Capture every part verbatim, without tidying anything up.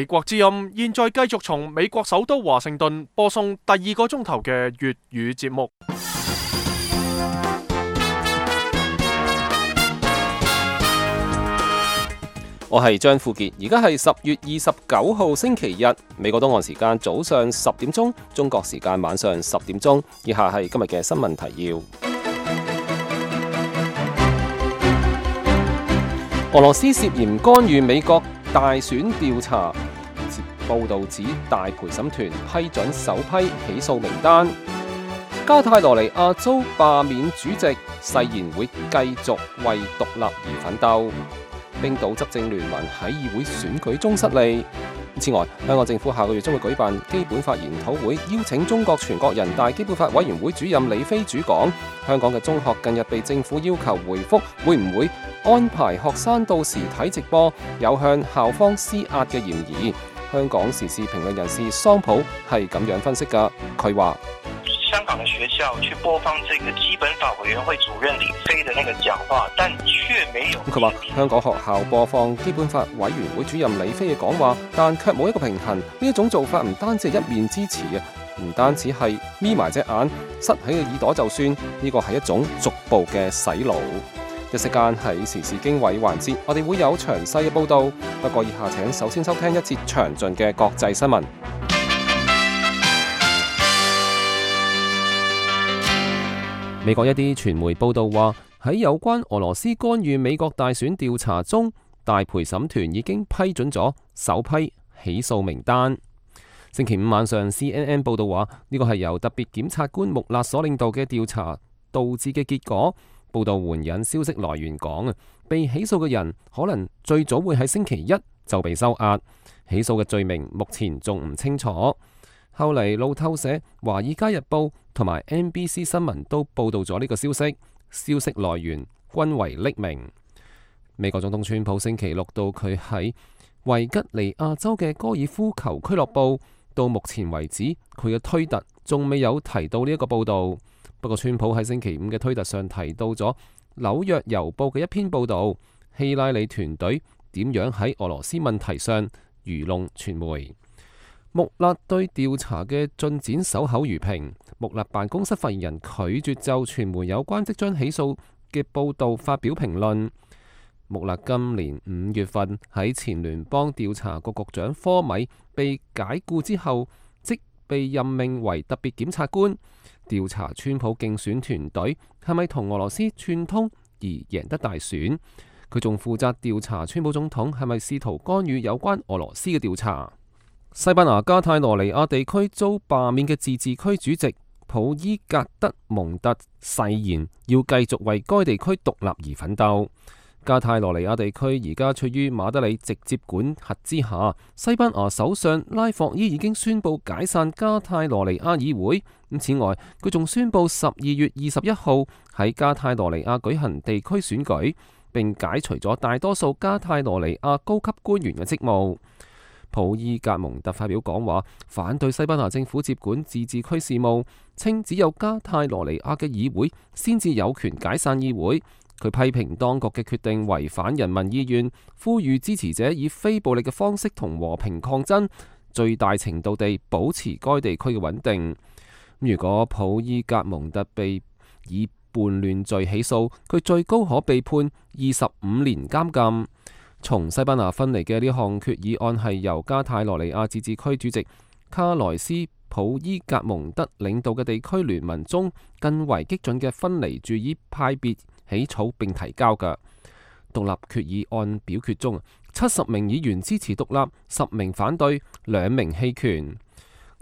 美國之音現在繼續從美國首都華盛頓播送第二個鐘頭嘅粵語節目。我係張富傑，而家係十月二十九號星期日，美國東岸時間早上十點鐘，中國時間晚上十點鐘。以下係今日嘅新聞提要。俄羅斯涉嫌干預美國大選調查，報道指大陪審團批准首批起訴名單。加泰羅尼亞州罷免主席，誓言會繼續為獨立而奮鬥。冰島執政聯盟喺議會選舉中失利。此外，香港政府下個月將會舉辦基本法研討會，邀請中國全國人大基本法委員會主任李飛主講。香港嘅中學近日被政府要求回覆，會唔會安排學生到時睇直播，有向校方施壓嘅嫌疑。香港時事評論人士桑普係咁樣分析㗎，佢話：香港的學校去播放這個基本法委員會主任李飛的那個講話，但卻沒有。佢話香港學校播放基本法委員會主任李飛嘅講話，但卻冇一個平衡。呢一種做法唔單止係一面之詞啊，唔單止係眯埋隻眼、塞喺個耳朵就算，呢個係一種逐步嘅洗腦。一息間喺時事經緯環節，我哋會有詳細嘅報導。不過以下請首先收聽一節詳盡嘅國際新聞。美國一啲傳媒報道話，喺有關俄羅斯干預美國大選調查中，大陪審團已經批准咗首批起訴名單。星期五晚上 C N N 報道話，呢個係由特別檢察官穆勒所領導嘅調查導致嘅結果。報道援引消息來源講啊，被起訴嘅人可能最早會喺星期一就被收押，起訴嘅罪名目前仲唔清楚。後嚟路透社、華爾街日報同埋 N B C 新聞都報道咗呢個消息，消息來源均為匿名。美國總統川普星期六到佢喺維吉尼亞州嘅高爾夫球俱樂部，到目前為止佢嘅推特仲未有提到呢一個報道。不過川普喺星期五嘅推特上提到咗紐約郵報嘅一篇報道，希拉里團隊點樣喺俄羅斯問題上愚弄傳媒。穆勒對調查嘅進展守口如瓶。穆勒辦公室發言人拒絕就傳媒有關即將起訴嘅報道發表評論。穆勒今年五月份喺前聯邦調查局局長科米被解雇之後，即被任命為特別檢察官，調查川普競選團隊係咪同俄羅斯串通而贏得大選。佢仲負責調查川普總統係咪試圖干預有關俄羅斯嘅調查。西班牙加泰羅尼亞地區遭罷免嘅自治區主席普伊格德蒙特誓言要繼續為該地區獨立而奮鬥。加泰羅尼亞地區而家處於馬德里直接管轄之下。西班牙首相拉霍伊已經宣布解散加泰羅尼亞議會。此外，佢仲宣布十二月二十一號喺加泰羅尼亞舉行地區選舉，並解除咗大多數加泰羅尼亞高級官員嘅職務。普伊格蒙特發表講話，反對西班牙政府接管自治區事務，稱只有加泰羅尼亞嘅議會先至有權解散議會。佢批評當局嘅決定違反人民意願，呼籲支持者以非暴力嘅方式同和，和平抗爭，最大程度地保持該地區嘅穩定。如果普伊格蒙特被以叛亂罪起訴，佢最高可被判二十五年監禁。從西班牙分離嘅呢項決議案係由加泰羅尼亞自治區主席卡萊斯普伊格蒙德領導嘅地區聯盟中更為激進嘅分離主義派別起草並提交嘅獨立決議案表決中，七十名議員支持獨立，十名反對，兩名棄權。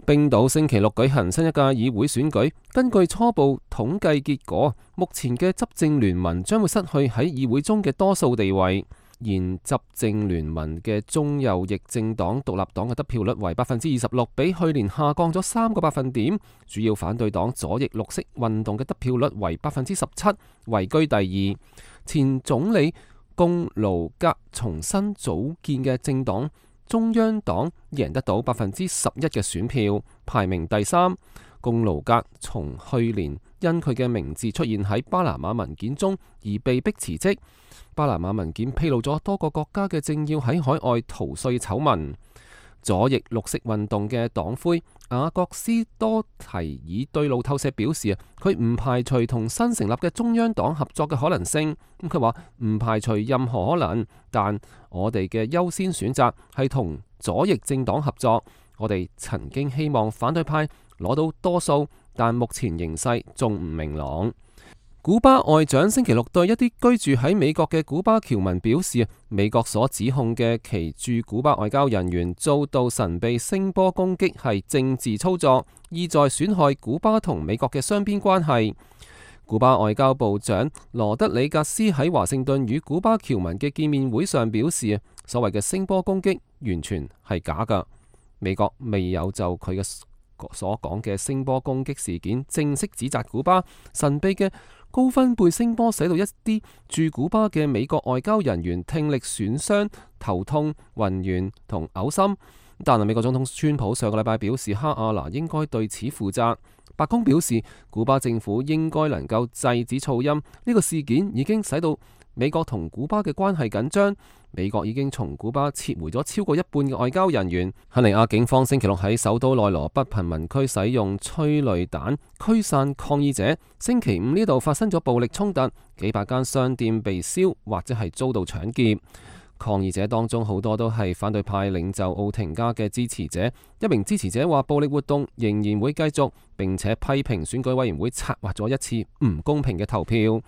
冰島星期六舉行新一屆議會選舉，根據初步統計結果，目前嘅執政聯盟將會失去喺議會中嘅多數地位。現執政聯盟嘅中右翼政黨獨立黨嘅得票率為百分之二十六，比去年下降咗三個百分點。主要反對黨左翼綠色運動嘅得票率為百分之十七，位居第二。前總理貢盧格重新組建嘅政黨中央黨贏得到百分之十一嘅選票，排名第三。貢盧格從去年因佢嘅名字出現喺巴拿馬文件中而被迫辭職。巴拿馬文件披露咗多個國家嘅政要喺海外逃稅醜聞。左翼綠色運動嘅黨魁雅各斯多提爾對路透社表示啊，佢唔排除同新成立嘅中央黨合作嘅可能性。咁佢話唔排除任何可能，但我哋嘅優先選擇係同左翼政黨合作。我哋曾經希望反對派攞到多數，但目前形勢仲唔明朗。古巴外長星期六對一啲居住喺美國嘅古巴僑民表示，美國所指控嘅其駐古巴外交人員遭到神秘聲波攻擊係政治操作，意在損害古巴同美國嘅雙邊關係。古巴外交部長羅德里格斯喺華盛頓與古巴僑民嘅見面會上表示，所謂嘅聲波攻擊完全係假㗎，美國未有就佢嘅所講嘅聲波攻擊事件正式指責古巴。神秘嘅高分貝聲波使到一啲駐古巴嘅美國外交人員聽力損傷、頭痛、暈眩同嘔心。但係美國總統川普上個禮拜表示，哈亞拿應該對此負責。白宮表示，古巴政府應該能夠制止噪音。呢個事件已經使到美國同古巴嘅關係緊張。美國已經從古巴撤回咗超過一半嘅外交人員。肯尼亞警方星期六喺首都內羅畢貧民區使用催淚彈驅散抗議者。星期五呢度發生咗暴力衝突，幾百間商店被燒或者係遭到搶劫。抗議者當中好多都係反對派領袖奧廷加嘅支持者。一名支持者話暴力活動仍然會繼續，並且批評選舉委員會策劃咗一次唔公平嘅投票。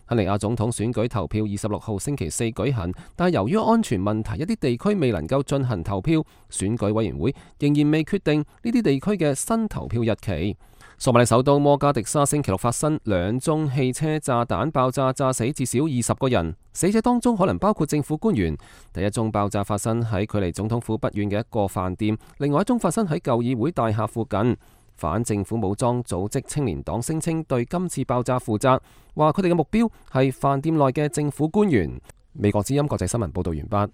肯尼亞總統選舉投票二十六號星期四舉行，但係由於安全問題，一啲地區未能夠進行投票，選舉委員會仍然未決定呢啲地區嘅新投票日期。索馬里首都摩加迪沙星期六發生兩宗汽車炸彈爆炸，炸死至少二十個人，死者當中可能包括政府官員。第一宗爆炸發生喺距離總統府不遠嘅一個飯店，另外一宗發生喺舊議會大廈附近。反政府武裝組織青年黨聲稱對今次爆炸負責，話佢哋嘅目標係飯店內嘅政府官員。美國之音國際新聞報道完畢。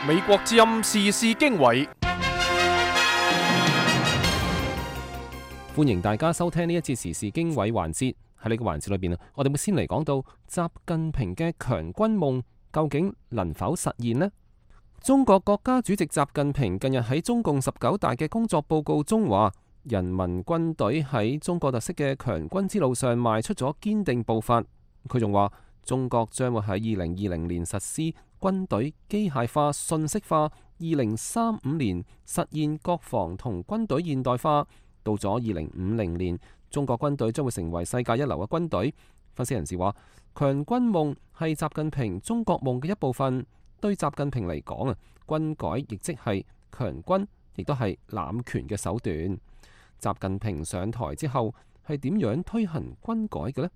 美國之音時事經緯，歡迎大家收聽呢一節時事經緯環節。喺呢個環節裏邊啊，我哋會先嚟講到習近平嘅強軍夢究竟能否實現呢？中國國家主席習近平近日喺中共十九大嘅工作報告中話，人民軍隊喺中國特色嘅強軍之路上邁出咗堅定步伐。佢仲話，中國將會喺二零二零年實施軍隊機械化、信息化，二零三五年實現國防同軍隊現代化。到咗二零五零年，中國軍隊將會成為世界一流嘅軍隊。分析人士話，強軍夢係習近平中國夢嘅一部分。對習近平嚟講啊，軍改亦即係強軍，亦都係攬權嘅手段。習近平上台之後係點樣推行軍改嘅呢？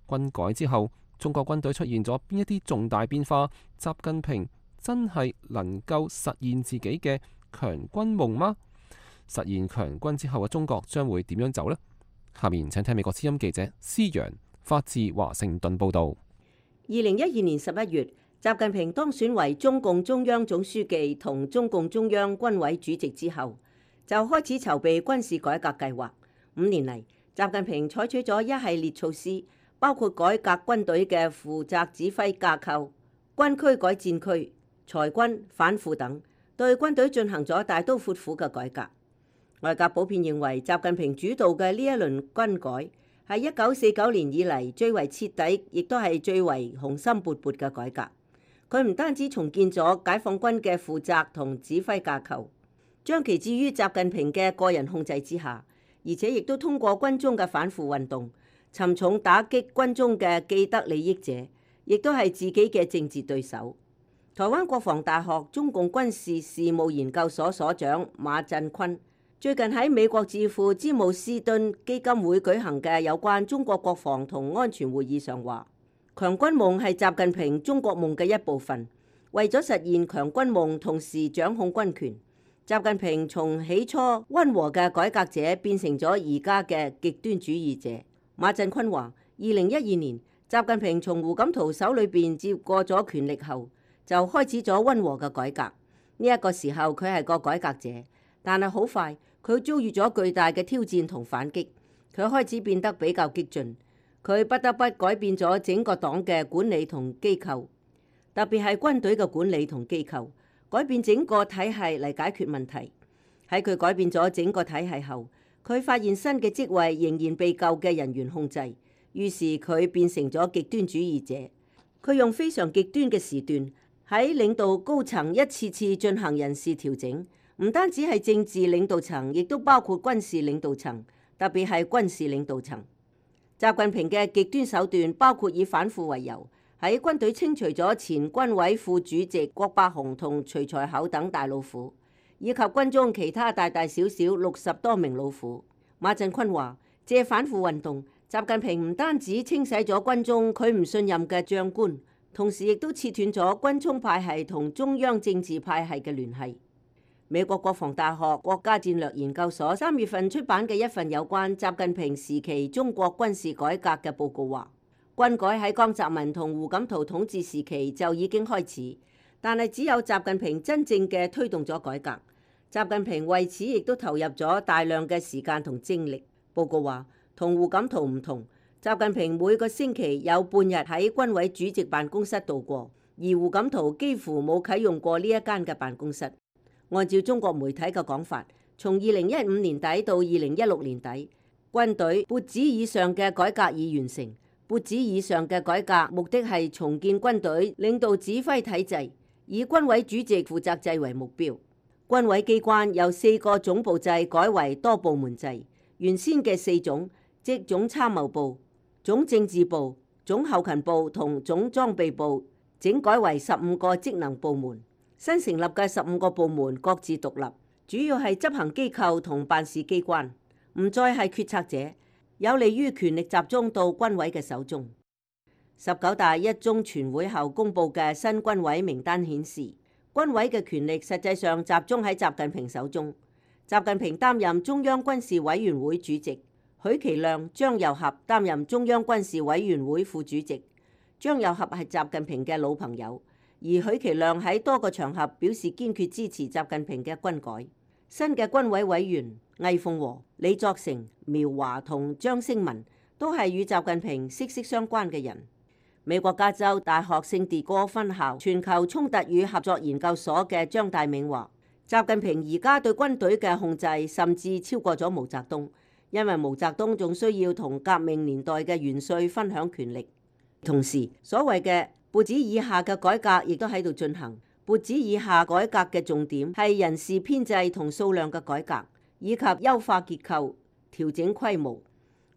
軍改之後，中國軍隊出現咗邊一啲重大變化？習近平真係能夠實現自己嘅強軍夢嗎？實現強軍之後嘅中國將會點樣走呢？下面請聽美國之音記者施陽發自華盛頓報道。二零一二年十一月，習近平當選為中共中央總書記同中共中央軍委主席之後，就開始籌備軍事改革計劃。五年嚟，習近平採取咗一系列措施，包括改革軍隊嘅負責指揮架構、軍區改戰區、裁軍反腐等，對軍隊進行咗大刀闊斧嘅改革。外界普遍認為，習近平主導嘅呢一輪軍改係一九四九年以嚟最為徹底，亦都係最為雄心勃勃嘅改革。佢唔單止重建咗解放軍嘅負責同指揮架構，將其置於習近平嘅個人控制之下，而且亦都通過軍中嘅反腐運動，沉重打擊軍中嘅既得利益者，亦都係自己嘅政治對手。台灣國防大學中共軍事事務研究所所長馬振坤最近喺美國智庫詹姆斯敦基金會舉行嘅有關中國國防同安全會議上話，強軍夢係習近平中國夢嘅一部分，為咗實現強軍夢，同時掌控軍權，習近平從起初溫和嘅改革者變成咗而家嘅極端主義者。馬振坤話，二零一二年，習近平從胡錦濤手裏邊接過咗權力後，就開始咗溫和嘅改革。呢、這、一個時候佢係個改革者，但係好快佢遭遇咗巨大嘅挑戰同反擊，佢開始變得比較激進。佢不得不改變咗整個黨嘅管理同機構。特別係軍隊嘅管理同機構，改變整個體系嚟解決問題。喺佢改變咗整個體系後，佢發現新嘅職位仍然被舊嘅人員控制，於是佢變成咗極端主義者。佢用非常極端嘅時段喺領導高層一次次進行人事調整，唔單止係政治領導層，亦都包括軍事領導層，特別係軍事領導層。習近平嘅極端手段包括以反腐為由，喺軍隊清除咗前軍委副主席郭伯雄同徐才厚等大老虎，以及軍中其他大大小小六十多名老虎。馬振坤話：借反腐運動，習近平唔單止清洗咗軍中佢唔信任嘅將官，同時亦都切斷咗軍衝派系同中央政治派系嘅聯繫。美國國防大學國家戰略研究所三月份出版嘅一份有關習近平時期中國軍事改革嘅報告話，軍改喺江澤民同胡錦濤統治時期就已經開始，但係只有習近平真正嘅推動咗改革。習近平為此亦都投入咗大量嘅時間同精力。報告話，同胡錦濤唔同，習近平每個星期有半日喺軍委主席辦公室度過，而胡錦濤幾乎冇啟用過呢一間嘅辦公室。按照中國媒體嘅講法，從二零一五年底到二零一六年底，軍隊撥子以上嘅改革已完成。撥子以上嘅改革目的係重建軍隊領導指揮體制，以軍委主席負責制為目標。軍委機關由四個總部制改為多部門制，原先嘅四總，即總參謀部、總政治部、總後勤部同總裝備部，整改為十五個職能部門。新成立嘅十五個部門各自獨立，主要係執行機構同辦事機關，唔再係決策者，有利於權力集中到軍委嘅手中。十九大一中全會後公布嘅新軍委名單顯示，軍委嘅權力實際上集中喺習近平手中。習近平擔任中央軍事委員會主席，許其亮、張又俠擔任中央軍事委員會副主席。張又俠係習近平嘅老朋友。而許其亮喺多個場合表示堅決支持習近平嘅軍改。新嘅軍委委員魏鳳和、李作成、苗華同張星文都係與習近平息息相關嘅人。美國加州大學聖地哥分校全球衝突與合作研究所嘅張大銘話，習近平而家對軍隊嘅控制甚至超過咗毛澤東，因為毛澤東仲需要同革命年代嘅元帥分享權力。同時，所謂嘅撥子以下嘅改革亦都喺度進行。撥子以下改革嘅重點係人事編制同數量嘅改革，以及優化結構、調整規模。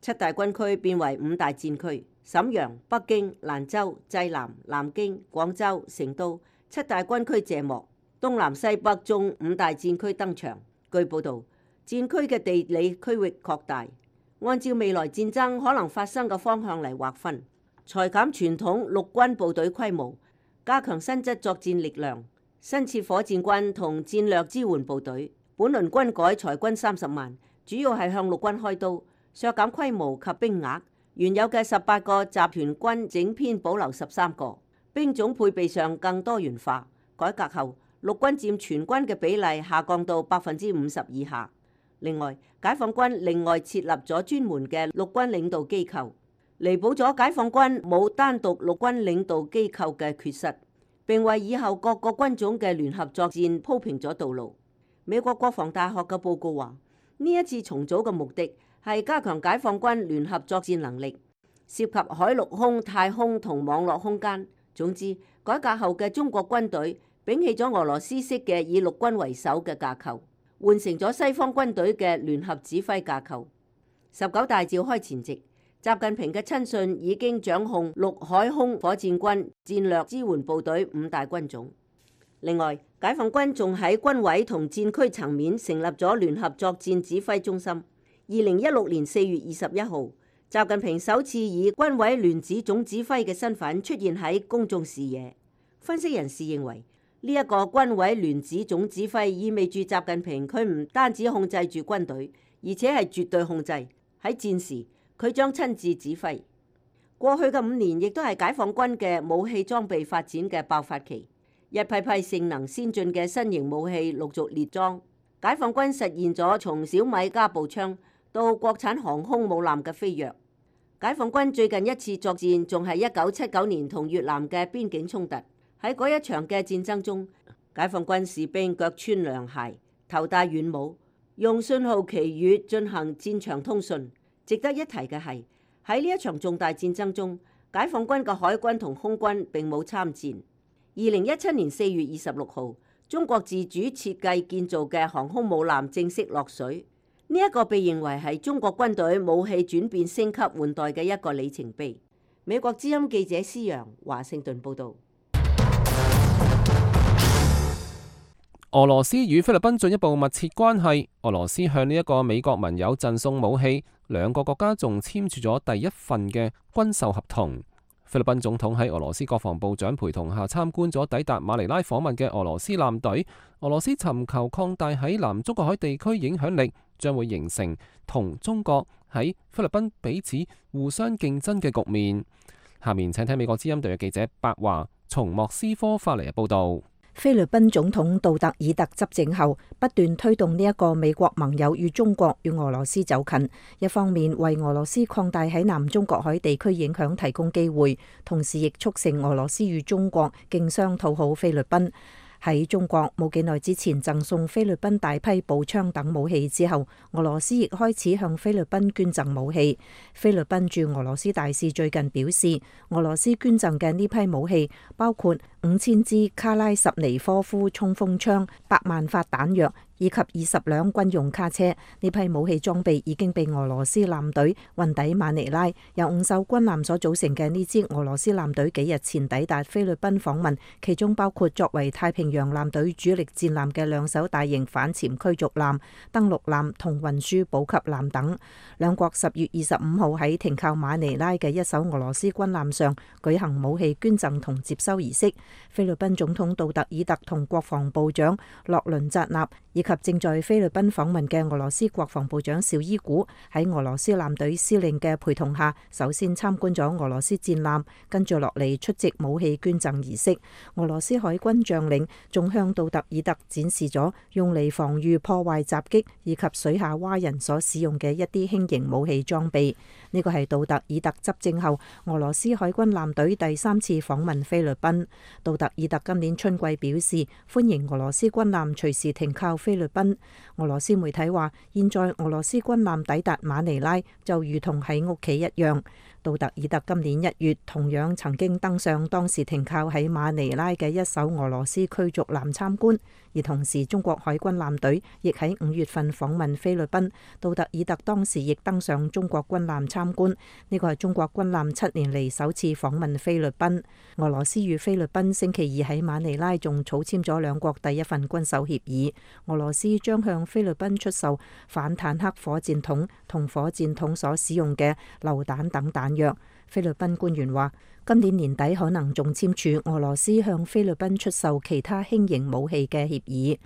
七大軍區變為五大戰區，瀋陽、北京、蘭州、濟南、南京、廣州、成都七大軍區謝幕，東南西北中五大戰區登場。據報導，戰區嘅地理區域擴大，按照未來戰爭可能發生嘅方向嚟劃分。裁減傳統陸軍部隊規模，加強新質作戰力量，新設火箭軍同戰略支援部隊。本輪軍改裁軍三十萬，主要係向陸軍開刀，削減規模及兵額。原有嘅十八個集團軍整編保留十三個，兵種配備上更多元化。改革後，陸軍佔全軍嘅比例下降到百分之五十以下。另外，解放軍另外設立咗專門嘅陸軍領導機構，彌補咗解放軍冇單獨陸軍領導機構嘅缺失，並為以後各個軍種嘅聯合作戰鋪平咗道路。美國國防大學嘅報告話，呢一次重組嘅目的係加強解放軍聯合作戰能力，涉及海陸空、太空同網絡空間。總之，改革後嘅中國軍隊摒棄咗俄羅斯式嘅以陸軍為首嘅架構，換成咗西方軍隊嘅聯合指揮架構。十九大召開前夕，習近平嘅親信已經掌控陸海空火箭軍戰略支援部隊五大軍種。另外，解放軍仲喺軍委同戰區層面成立咗聯合作戰指揮中心。二零一六年四月二十一號，習近平首次以軍委聯指總指揮嘅身份出現喺公眾視野。分析人士認為，呢、這、一個軍委聯指總指揮意味住習近平佢唔單止控制住軍隊，而且係絕對控制。喺戰時，佢將親自指揮。過去嘅五年亦都係解放軍嘅武器裝備發展嘅爆發期，一批批性能先進嘅新型武器陸續列裝。解放軍實現咗從小米加步槍到國產航空母艦嘅飛躍。解放軍最近一次作戰仲係一九七九年同越南嘅邊境衝突，喺嗰一場嘅戰爭中，解放軍士兵腳穿涼鞋，頭戴軟帽，用信號旗語進行戰場通訊。值得一提嘅係，喺呢一場重大戰爭中，解放軍嘅海軍同空軍並冇參戰。二零一七年四月二十六號，中國自主設計建造嘅航空母艦正式落水。呢一個被認為係中國軍隊武器轉變升級換代嘅一個里程碑。美國之音記者施洋華盛頓報導。俄羅斯與菲律賓進一步密切關係，俄羅斯向呢一個美國盟友贈送武器，兩個國家仲簽署咗第一份嘅軍售合同。菲律賓總統喺俄羅斯國防部長陪同下參觀咗抵達馬尼拉訪問嘅俄羅斯艦隊。俄羅斯尋求擴大喺南中國海地區影響力，將會形成同中國喺菲律賓彼此互相競爭嘅局面。下面請聽美國之音特約記者白華從莫斯科發嚟嘅報道。菲律賓總統杜特爾特執政後，不斷推動呢一個美國盟友與中國與俄羅斯走近，一方面為俄羅斯擴大喺南中國海地區影響提供機會，同時亦促成俄羅斯與中國競相討好菲律賓。喺中國冇幾耐之前贈送菲律賓大批步槍等武器之後，俄羅斯亦開始向菲律賓捐贈武器。菲律賓駐俄羅斯大使最近表示，俄羅斯捐贈嘅呢批武器包括五千支卡拉什尼科夫衝鋒槍、百萬發彈藥以及二十輛軍用卡車。呢批武器裝備已經被俄羅斯艦隊運抵馬尼拉。由五艘軍艦所組成嘅呢支俄羅斯艦隊幾日前抵達菲律賓訪問，其中包括作為太平洋艦隊主力戰艦嘅兩艘大型反潛驅逐艦、登陸艦同運輸補給艦等。兩國十月二十五號喺停靠馬尼拉嘅一艘俄羅斯軍艦上舉行武器捐贈同接收儀式。菲律賓總統杜特爾特同國防部長洛倫扎納以及正在菲律賓訪問嘅俄羅斯國防部長邵伊古喺俄羅斯艦隊司令嘅陪同下，首先參觀咗俄羅斯戰艦，跟住落嚟出席武器捐贈儀式。俄羅斯海軍將領仲向杜特爾特展示咗用嚟防禦破壞襲擊以及水下蛙人所使用嘅一啲輕型武器裝備。呢個係杜特爾特執政後俄羅斯海軍艦隊第三次訪問菲律賓。杜特爾特今年春季表示歡迎俄羅斯軍艦隨時停靠菲律賓。俄羅斯媒體話，現在俄羅斯軍艦抵達馬尼拉就如同喺屋企一樣。杜特爾特今年一月同樣曾經登上當時停靠喺馬尼拉嘅一艘俄羅斯驅逐艦參觀，而同時中國海軍艦隊亦喺五月份訪問菲律賓。杜特爾特當時亦登上中國軍艦參觀，呢個係中國軍艦七年嚟首次訪問菲律賓。俄羅斯與菲律賓星期二喺馬尼拉仲草簽咗兩國第一份軍售協議，俄羅斯將向菲律賓出售反坦克火箭筒同火箭筒所使用嘅榴彈等彈藥。菲律賓官員話，今年年底可能仲簽署俄羅斯向菲律賓出售其他輕型武器嘅協議。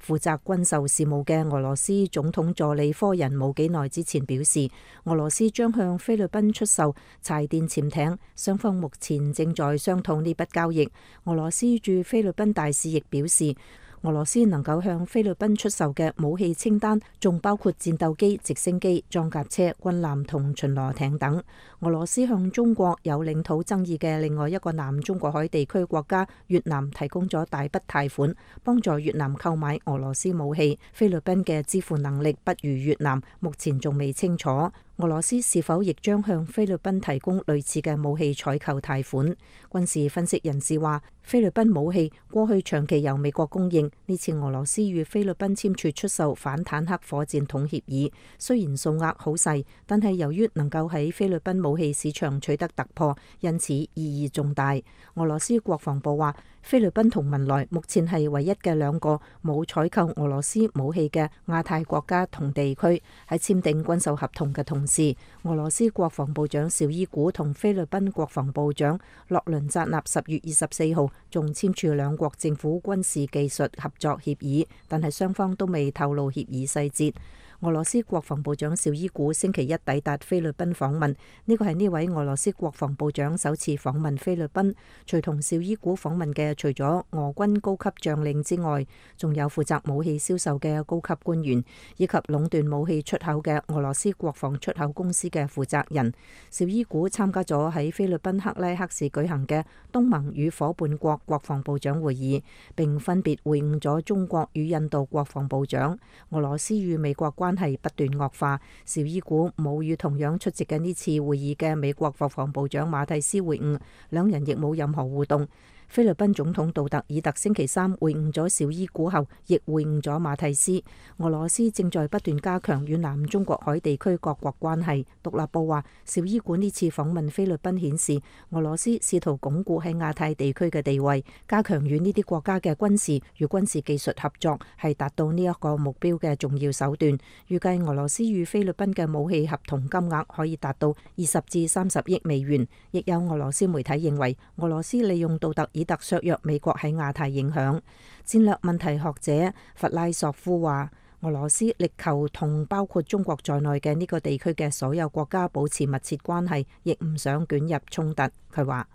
負責軍售事務嘅俄羅斯總統助理科人冇幾耐之前表示，俄羅斯將向菲律賓出售柴電潛艇，雙方目前正在商討呢筆交易。俄羅斯駐菲律賓大使亦表示，俄羅斯能夠向菲律賓出售嘅武器清單仲包括戰鬥機、直升機、裝甲車、軍艦同巡邏艇等。俄羅斯向中國有領土爭議嘅另外一個南中國海地區國家越南提供咗大筆貸款，幫助越南購買俄羅斯武器。菲律賓嘅支付能力不如越南，目前仲未清楚。俄羅斯是否亦將向菲律賓提供類似嘅武器採購貸款？軍事分析人士話，菲律賓武器過去長期由美國供應，呢次俄羅斯與菲律賓簽署出售反坦克火箭筒協議，雖然數額好細，但係由於能夠喺菲律賓武器市場取得突破，因此意義重大。俄羅斯國防部話，菲律賓同文萊目前係唯一嘅兩個冇採購俄羅斯武器嘅亞太國家同地區。喺簽訂軍售合同嘅同時，俄羅斯國防部長邵伊古同菲律賓國防部長洛倫扎納十月二十四號仲簽署兩國政府軍事技術合作協議，但係雙方都未透露協議細節。俄羅斯國防部長紹伊古星期一抵達菲律賓訪問，呢個係呢位俄羅斯國防部長首次訪問菲律賓。隨同紹伊古訪問嘅，除咗俄軍高級將領之外，仲有負責武器銷售嘅高級官員，以及壟斷武器出口嘅俄羅斯國防出口公司嘅負責人。紹伊古參加咗喺菲律賓克拉克市舉行嘅東盟與夥伴國國防部長會議，並分別會晤咗中國與印度國防部長。俄羅斯與美國關係不斷惡化，紹伊古冇與同樣出席嘅呢次會議嘅美國國防部長馬蒂斯會晤，兩人亦冇任何互動。菲律賓總統杜特爾特星期三會晤咗紹伊古後，亦會晤咗馬蒂斯。俄羅斯正在不斷加強與南中國海地區各國關係。獨立報話，紹伊古呢次訪問菲律賓顯示，俄羅斯試圖鞏固喺亞太地區嘅地位，加強與呢啲國家嘅軍事與軍事技術合作，係達到呢一個目標嘅重要手段。預計俄羅斯與菲律賓嘅武器合同金額可以達到二十至三十億美元。亦有俄羅斯媒體認為，俄羅斯利用杜特爾特削弱美國喺亞太影響。戰略問題學者弗拉索夫話，俄羅斯力求同包括中國在內嘅呢個地區嘅所有國家保持密切關係，亦唔想捲入衝突。佢話，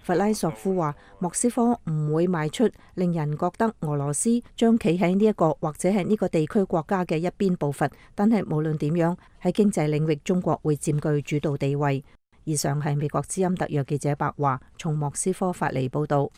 弗拉索夫話，莫斯科唔會邁出令人覺得俄羅斯將企喺呢一個或者係呢個地區國家嘅一邊步伐，但係無論點樣，喺經濟領域中國會佔據主導地位。以上係美國之音特約記者白華從莫斯科發嚟報道。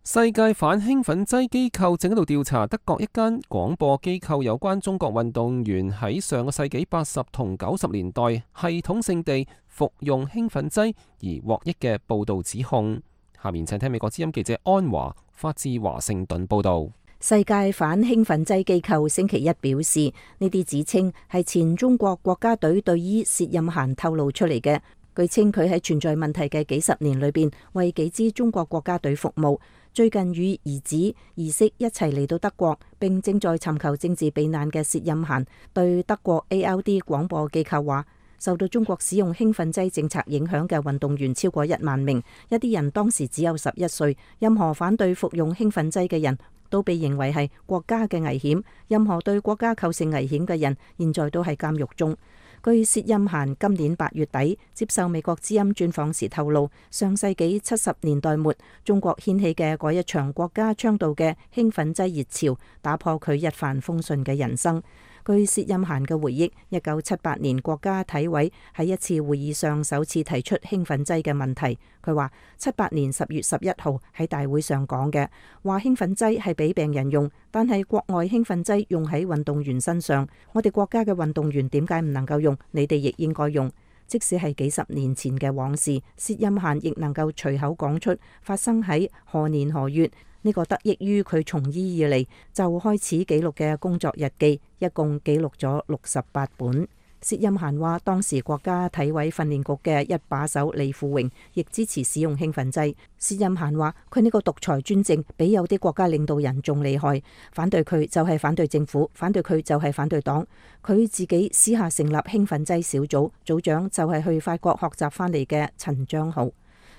世界反興奮劑機構正喺度調查德國一間廣播機構有關中國運動員喺上個世紀八十同九十年代系統性地服用興奮劑而獲益嘅報道指控。下面請聽美國之音記者安華發自華盛頓報道。世界反興奮劑機構星期一表示，呢啲指稱係前中國國家隊隊醫薛任嫻透露出嚟嘅。據稱佢喺存在問題嘅幾十年裏邊，為幾支中國國家隊服務。最近與兒子兒媳一齊嚟到德國，並正在尋求政治避難嘅薛任嫻對德國 A L D 廣播機構話，受到中國使用興奮劑政策影響嘅運動員超過一萬名，一啲人當時只有十一歲。任何反對服用興奮劑嘅人都被認為係國家嘅危險，任何對國家構成危險嘅人現在都喺監獄中。據薛任嫻今年八月底接受美國之音專訪時透露，上世紀七十年代末中國掀起嘅嗰一場國家倡導嘅興奮劑熱潮，打破佢一帆風順嘅人生。據薛任嫻嘅回憶，一九七八年國家體委喺一次會議上首次提出興奮劑嘅問題。佢話七八年十月十一號喺大會上講嘅，話興奮劑係俾病人用，但係國外興奮劑用喺運動員身上，我哋國家嘅運動員點解唔能夠用？你哋亦應該用。即使係幾十年前嘅往事，薛任嫻亦能夠隨口講出發生喺何年何月。呢個得益於佢從醫以嚟就開始記錄嘅工作日記，一共記錄咗六十八本。薛任嫻話，當時國家體委訓練局嘅一把手李富榮亦支持使用興奮劑。薛任嫻話，佢呢個獨裁專政比有啲國家領導人仲厲害，反對佢就係反對政府，反對佢就係反對黨。佢自己私下成立興奮劑小組，組長就係去法國學習翻嚟嘅陳章豪。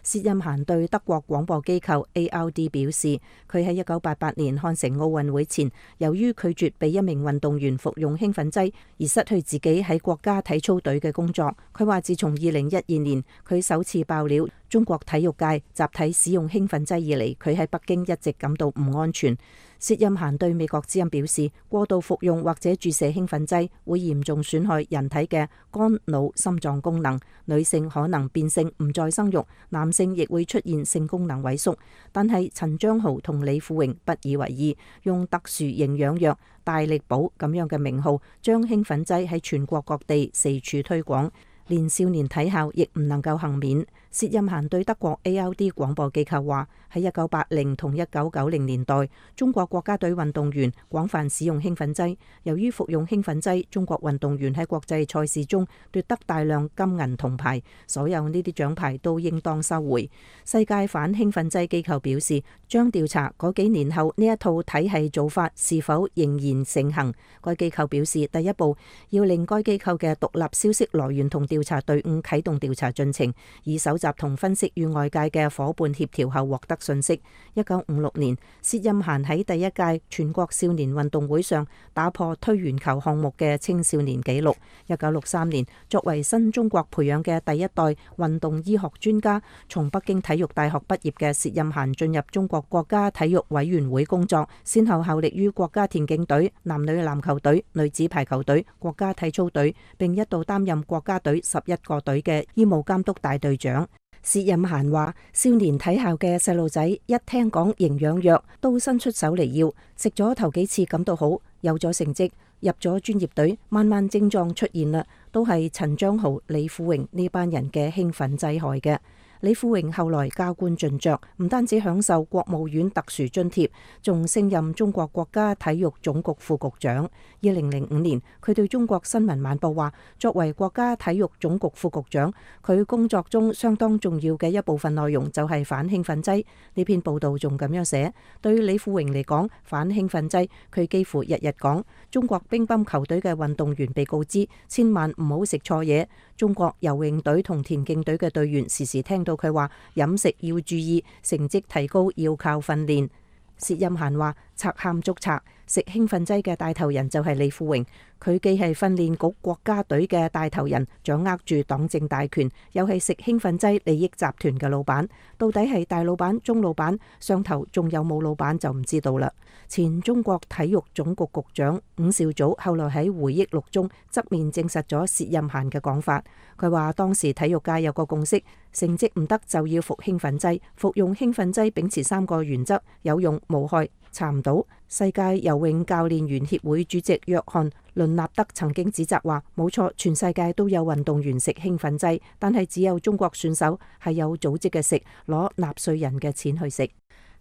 薛任嫻對德國廣播機構 A L D 表示，佢喺一九八八年漢城奧運會前，由於拒絕俾一名運動員服用興奮劑，而失去自己喺國家體操隊嘅工作。佢話自從二零一二年佢首次爆料中國體育界集體使用興奮劑以嚟，佢喺北京一直感到唔安全。薛任嫻對美國之音表示，過度服用或者注射興奮劑會嚴重損害人體嘅肝、腦、心臟功能，女性可能變性唔再生育，男性亦會出現性功能萎縮。但係陳章豪同李富榮不以為意，用特殊營養藥大力寶咁樣嘅名號，將興奮劑喺全國各地四處推廣，連少年體校亦唔能夠幸免。薛任嫻對德國 A L D 廣播機構話，喺一九八零同一九九零年代，中國國家隊運動員廣泛使用興奮劑。由於服用興奮劑，中國運動員喺國際賽事中奪得大量金銀銅牌，所有呢啲獎牌都應當收回。世界反興奮劑機構表示，將調查嗰幾年後呢一套體系做法是否仍然盛行。該機構表示，第一步要令該機構嘅獨立消息來源同調查隊伍啟動調查進程，以搜集同分析與外界嘅伙伴協調後獲得信息。一九五六年，薛欽嫻喺第一屆全國少年運動會上打破推圓球項目嘅青少年紀錄。一九六三年，作為新中國培養嘅第一代運動醫學專家，從北京體育大學畢業嘅薛欽嫻進入中國國家體育委員會工作，先後效力於國家田徑隊、男女籃球隊、女子排球隊、國家體操隊，並一度擔任國家隊十一個隊嘅醫務監督大隊長。薛欽嫻話：少年體校嘅細路仔一聽講營養藥，都伸出手嚟要，食咗頭幾次感到好，有咗成績，入咗專業隊，慢慢症狀出現啦，都係陳章豪、李富榮呢班人嘅興奮劑害嘅。李富榮後來加官進爵，唔單止享受國務院特殊津貼，仲升任中國國家體育總局副局長。二零零五年，佢對中國新聞晚報話：作為國家體育總局副局長，佢工作中相當重要嘅一部分內容就係反興奮劑。呢篇報道仲咁樣寫：對李富榮嚟講，反興奮劑，佢幾乎日日講。中國乒乓球隊嘅運動員被告知千萬唔好食錯嘢。中國游泳隊同田徑隊嘅隊員時時聽到佢話飲食要注意，成績提高要靠訓練。薛欽嫻話：賊喊捉賊，食興奮劑嘅帶頭人就係李富榮。佢既係訓練局國家隊嘅帶頭人，掌握住黨政大權，又係食興奮劑利益集團嘅老闆。到底係大老闆、中老闆，上頭仲有冇老闆就唔知道啦。前中國體育總局局長伍兆祖後來喺回憶錄中側面證實咗薛欽嫻嘅講法。佢話當時體育界有個共識，成績唔得就要服興奮劑，服用興奮劑秉持三個原則：有用、無害、查唔到。世界游泳教練員協會主席約翰倫納德曾經指責話：冇錯，全世界都有運動員食興奮劑，但係只有中國選手係有組織嘅食，攞納稅人嘅錢去食。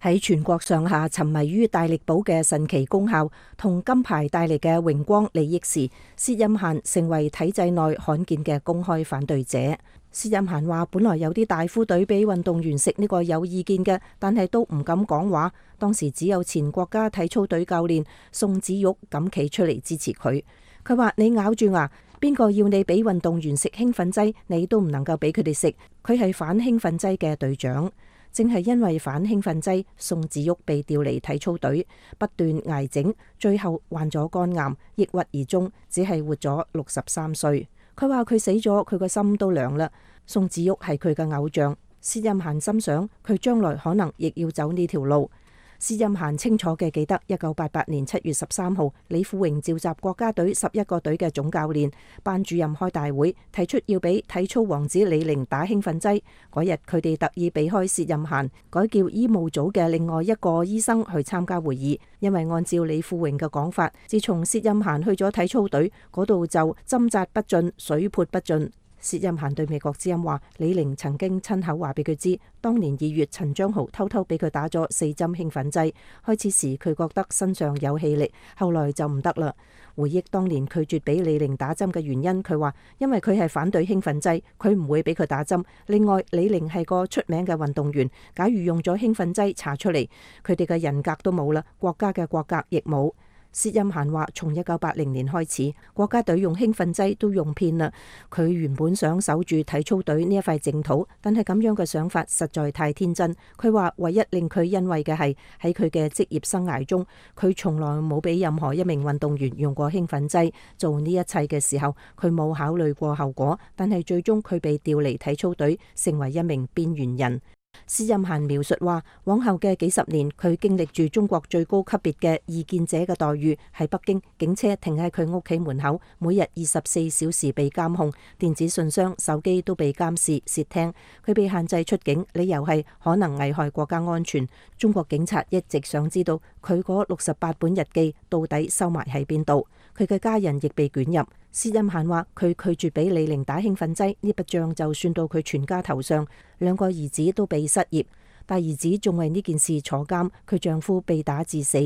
喺全國上下沉迷於大力寶嘅神奇功效同金牌帶嚟嘅榮光利益時，薛欽嫻成為體制內罕見嘅公開反對者。薛欽嫻話：本來有啲大夫隊俾運動員食呢個有意見嘅，但係都唔敢講話。當時只有前國家體操隊教練宋子玉敢企出嚟支持佢。佢話：你咬住牙，邊個要你俾運動員食興奮劑，你都唔能夠俾佢哋食。佢係反興奮劑嘅隊長。正係因為反興奮劑，宋子玉被調離體操隊，不斷挨整，最後患咗肝癌，抑鬱而終，只係活咗六十三歲。佢話佢死咗，佢個心都涼啦。宋子玉係佢嘅偶像，薛欽嫻心想佢將來可能亦要走呢條路。薛欽嫻清楚嘅記得，一九八八年七月十三號，李富榮召集國家隊十一個隊嘅總教練、班主任開大會，提出要俾體操王子李寧打興奮劑。嗰日佢哋特意避開薛欽嫻，改叫醫務組嘅另外一個醫生去參加會議，因為按照李富榮嘅講法，自從薛欽嫻去咗體操隊嗰度就針扎不進、水潑不進。薛欽嫻對美國之音話：李寧曾經親口話俾佢知，當年二月陳章豪偷偷俾佢打咗四針興奮劑。開始時佢覺得身上有氣力，後來就唔得啦。回憶當年拒絕俾李寧打針嘅原因，佢話因為佢係反對興奮劑，佢唔會俾佢打針。另外，李寧係個出名嘅運動員，假如用咗興奮劑查出嚟，佢哋嘅人格都冇啦，國家嘅國格亦冇。薛欽嫻話：從一九八零年開始，國家隊用興奮劑都用遍啦。佢原本想守住體操隊呢一塊淨土，但係咁樣嘅想法實在太天真。佢話唯一令佢欣慰嘅係喺佢嘅職業生涯中，佢從來冇俾任何一名運動員用過興奮劑。做呢一切嘅時候，佢冇考慮過後果，但係最終佢被調離體操隊，成為一名邊緣人。薛欽嫻描述話，往後嘅幾十年，佢經歷住中國最高級別嘅異見者嘅待遇。喺北京，警車停喺佢屋企門口，每日二十四小時被監控，電子信箱、手機都被監視、竊聽。佢被限制出境，理由係可能危害國家安全。中國警察一直想知道佢嗰六十八本日記到底收埋喺邊度。佢嘅家人亦被捲入。薛欽嫻話佢拒絕俾李寧打興奮劑，呢筆賬就算到佢全家頭上。兩個兒子都被失業，大兒子仲為呢件事坐監，佢丈夫被打致死。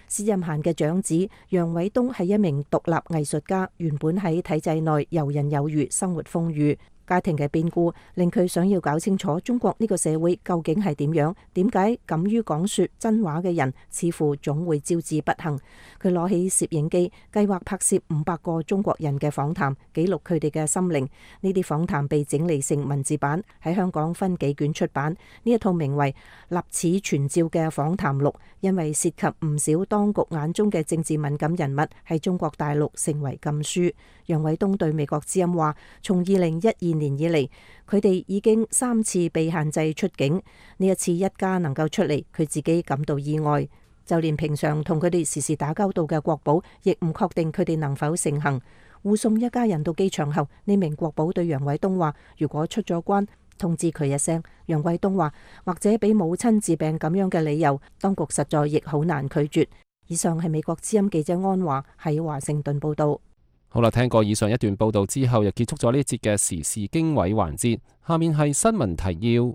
薛欽嫻嘅長子楊偉東係一名獨立藝術家，原本喺體制內游刃有餘，生活豐裕。家庭嘅變故令佢想要搞清楚中國呢個社會究竟係點樣，點解敢於講說真話嘅人似乎總會招致不幸。佢攞起攝影機，計劃拍攝五百個中國人嘅訪談，記錄佢哋嘅心靈。呢啲訪談被整理成文字版，喺香港分幾卷出版。呢一套名為《立此存照》嘅訪談錄，因為涉及唔少當局眼中嘅政治敏感人物，喺中國大陸成為禁書。楊偉東對美國之音話，從二零一二年以嚟，佢哋已經三次被限制出境，呢一次一家能夠出嚟，佢自己感到意外。就連平常同佢哋時時打交道嘅國保，亦唔確定佢哋能否成行。護送一家人到機場後，呢名國保對楊偉東話，如果出咗關，通知佢一聲。楊偉東話，或者俾母親治病咁樣嘅理由，當局實在亦好難拒絕。以上係美國之音記者安華喺華盛頓報道。好啦，聽過以上一段報道之後，又結束咗呢一節嘅時事經緯環節。下面係新聞提要。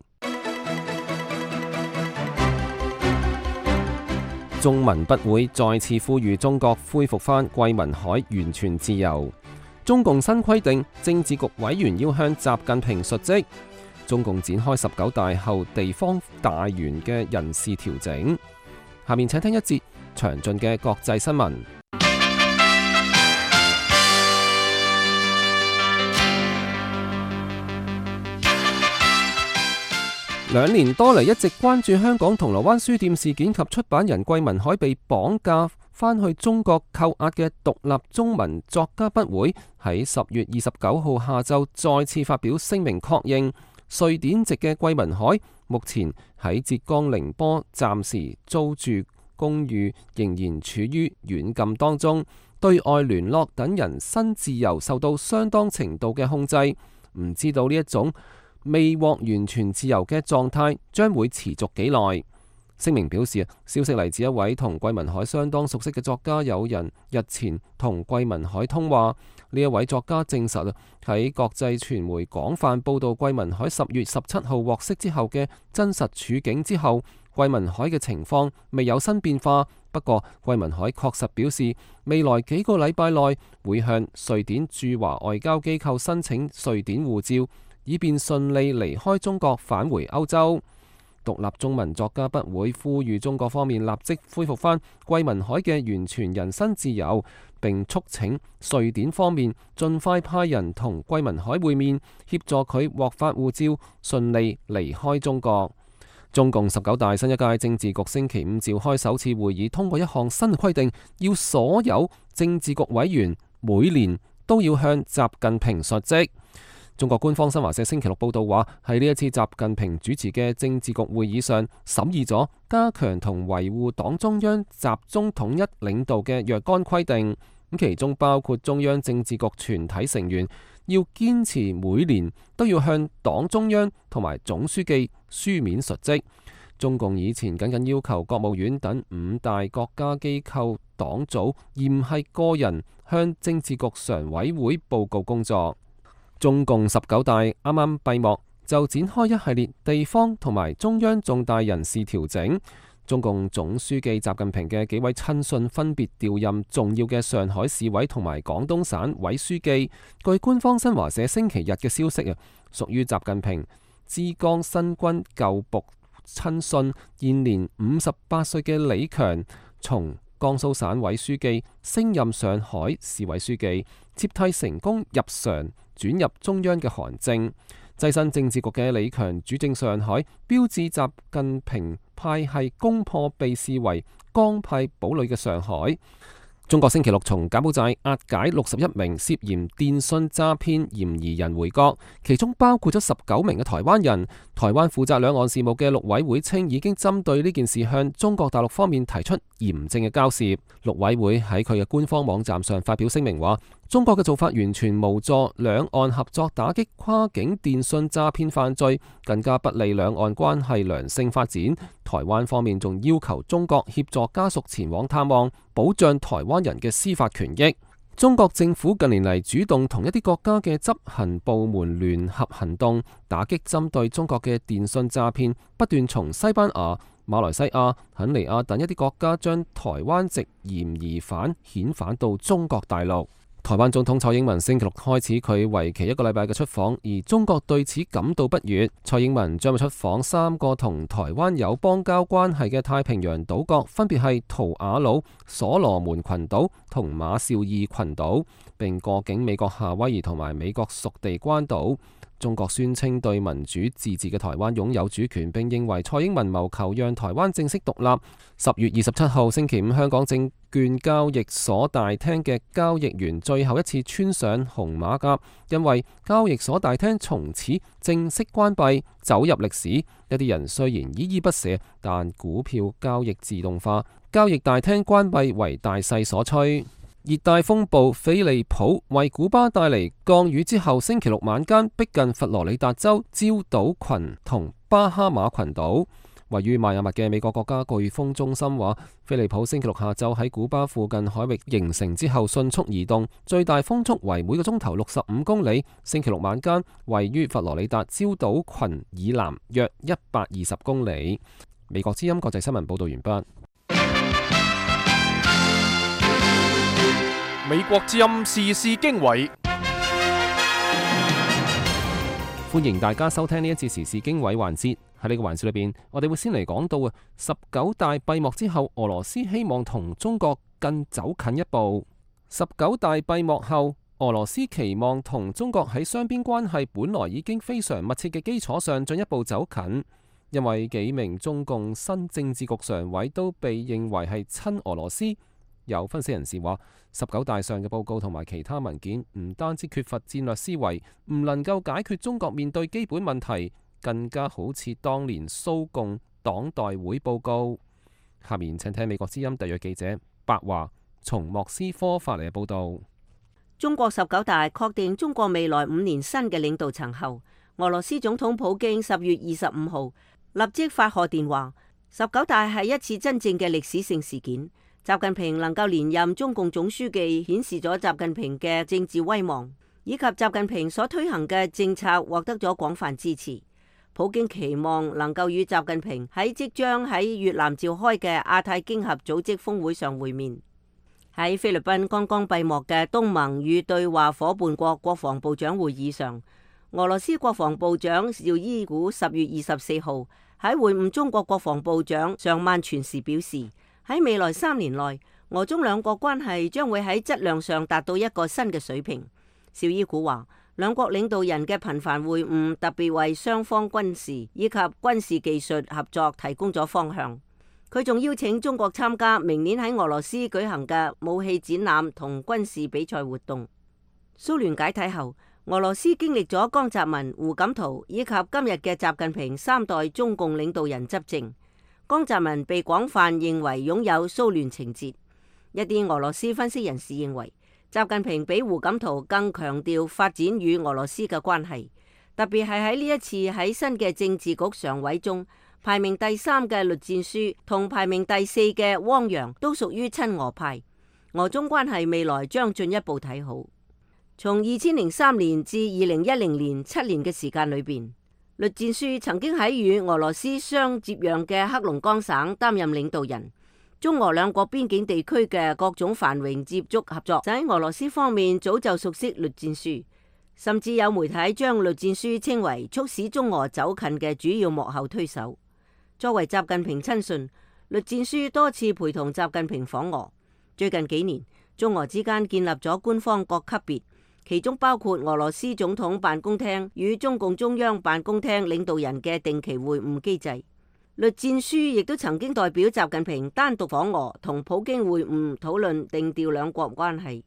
中文筆會再次呼籲中國恢復返桂民海完全自由。中共新規定，政治局委員要向習近平述職。中共展開十九大後地方大員嘅人事調整。下面請聽一節詳盡嘅國際新聞。兩年多嚟一直關注香港銅鑼灣書店事件及出版人桂民海被綁架返去中國扣押嘅獨立中文作家筆會，喺十月二十九號下晝再次發表聲明確認，瑞典籍嘅桂民海目前喺浙江寧波暫時租住公寓，仍然處於軟禁當中，對外聯絡等人身自由受到相當程度嘅控制。唔知道呢一種未獲完全自由嘅狀態將會持續幾耐。聲明表示啊，消息嚟自一位同桂民海相當熟悉嘅作家友人，日前同桂民海通話。呢一位作家證實啊，喺國際傳媒廣泛報道桂民海十月十七號獲釋之後嘅真實處境之後，桂民海嘅情況未有新變化。不過桂民海確實表示，未來幾個禮拜內會向瑞典駐華外交機構申請瑞典護照，以便順利離開中國返回歐洲。獨立中文作家筆會呼籲中國方面立即恢復返桂民海嘅完全人身自由，並促請瑞典方面盡快派人同桂民海會面，協助佢獲發護照，順利離開中國。中共十九大新一屆政治局星期五召開首次會議，通過一項新規定，要所有政治局委員每年都要向習近平述職。中國官方新華社星期六報道話，喺呢一次習近平主持嘅政治局會議上，審議咗加強同維護黨中央集中統一領導嘅若干規定，咁其中包括中央政治局全體成員要堅持每年都要向黨中央同埋總書記書面述職。中共以前僅僅要求國務院等五大國家機構黨組，而唔係個人向政治局常委會報告工作。中共十九大啱啱閉幕，就展開一系列地方同埋中央重大人事調整。中共總書記習近平嘅幾位親信分別調任重要嘅上海市委同埋廣東省委書記。據官方新華社星期日嘅消息啊，屬於習近平浙江新軍舊部親信，現年五十八歲嘅李強，從江蘇省委書記升任上海市委書記，接替成功入常轉入中央嘅韓正。躋身政治局嘅李強主政上海，標誌習近平派系攻破被視為江派堡壘嘅上海。中國星期六從柬埔寨押解六十一名涉嫌電信詐騙嫌疑人回國，其中包括咗十九名嘅台灣人。台灣負責兩岸事務嘅陸委會稱，已經針對呢件事向中國大陸方面提出嚴正嘅交涉。陸委會喺佢嘅官方網站上發表聲明話，中國嘅做法完全無助兩岸合作打擊跨境電信詐騙犯罪，更加不利兩岸關係良性發展。台灣方面仲要求中國協助家屬前往探望，保障台灣人嘅司法權益。中國政府近年嚟主動同一啲國家嘅執行部門聯合行動，打擊針對中國嘅電信詐騙，不斷從西班牙、馬來西亞、肯尼亞等一啲國家將台灣籍嫌疑犯遣返到中國大陸。台灣總統蔡英文星期六開始佢為期一個禮拜嘅出訪，而中國對此感到不悅。蔡英文將會出訪三個同台灣有邦交關係嘅太平洋島國，分別係圖瓦魯、所羅門群島同馬紹爾群島，並過境美國夏威夷同埋美國屬地關島。中國宣稱對民主自治嘅台灣擁有主權，並認為蔡英文謀求讓台灣正式獨立。十月二十七號星期五，香港證券交易所大廳嘅交易員最後一次穿上紅馬甲，因為交易所大廳從此正式關閉，走入歷史。一啲人雖然依依不捨，但股票交易自動化，交易大廳關閉為大勢所趨。熱帶風暴菲利普為古巴帶嚟降雨之後，星期六晚間逼近佛羅里達州礁島群同巴哈馬群島。位於邁阿密嘅美國國家颶風中心話，菲利普星期六下晝喺古巴附近海域形成之後迅速移動，最大風速為每個鐘頭六十五公里。星期六晚間位於佛羅里達礁島群以南約一百二十公里。美國之音國際新聞報道完畢。美國之音時事經緯，歡迎大家收聽呢一節時事經緯環節。喺呢個環節裏邊，我哋會先嚟講到啊，十九大閉幕之後，俄羅斯希望同中國更走近一步。十九大閉幕後，俄羅斯期望同中國喺雙邊關係本來已經非常密切嘅基礎上進一步走近，因為幾名中共新政治局常委都被認為係親俄羅斯。有分析人士話，十九大上嘅報告同埋其他文件唔單止缺乏戰略思維，唔能夠解決中國面對基本問題，更加好似當年蘇共黨代會報告。下面請聽美國之音特約記者白華從莫斯科發嚟嘅報道。中國十九大確定中國未來五年新嘅領導層後，俄羅斯總統普京十月二十五號立即發賀電話，十九大係一次真正嘅歷史性事件。習近平能夠連任中共總書記，顯示咗習近平嘅政治威望，以及習近平所推行嘅政策獲得咗廣泛支持。普京期望能夠與習近平喺即將喺越南召開嘅亞太經合組織峰會上會面。喺菲律賓剛剛閉幕嘅東盟與對話夥伴國國防部長會議上，俄羅斯國防部長紹伊古十月二十四號喺會晤中國國防部長尚曼全時表示，喺未來三年內，俄中兩國關係將會喺質量上達到一個新嘅水平。紹伊古話，兩國領導人嘅頻繁會晤，特別為雙方軍事以及軍事技術合作提供咗方向。佢仲邀請中國參加明年喺俄羅斯舉行嘅武器展覽同軍事比賽活動。蘇聯解體後，俄羅斯經歷咗江澤民、胡錦濤以及今日嘅習近平三代中共領導人執政。江澤民被廣泛認為擁有蘇聯情節，一啲俄羅斯分析人士認為，習近平比胡錦濤更強調發展與俄羅斯嘅關係，特別係喺呢一次喺新嘅政治局常委中，排名第三嘅栗戰書同排名第四嘅汪洋都屬於親俄派，俄中關係未來將進一步睇好。從二千零三年至二零一零年七年嘅時間裏邊，栗戰書曾經喺與俄羅斯相接壤嘅黑龍江省擔任領導人，中俄兩國邊境地區嘅各種繁榮接觸合作，就喺俄羅斯方面早就熟悉栗戰書，甚至有媒體將栗戰書稱為促使中俄走近嘅主要幕後推手。作為習近平親信，栗戰書多次陪同習近平訪俄。最近幾年，中俄之間建立咗官方各級別，其中包括俄羅斯總統辦公廳與中共中央辦公廳領導人嘅定期會晤機制。栗戰書亦都曾經代表習近平單獨訪俄，同普京會晤討論定調兩國關係。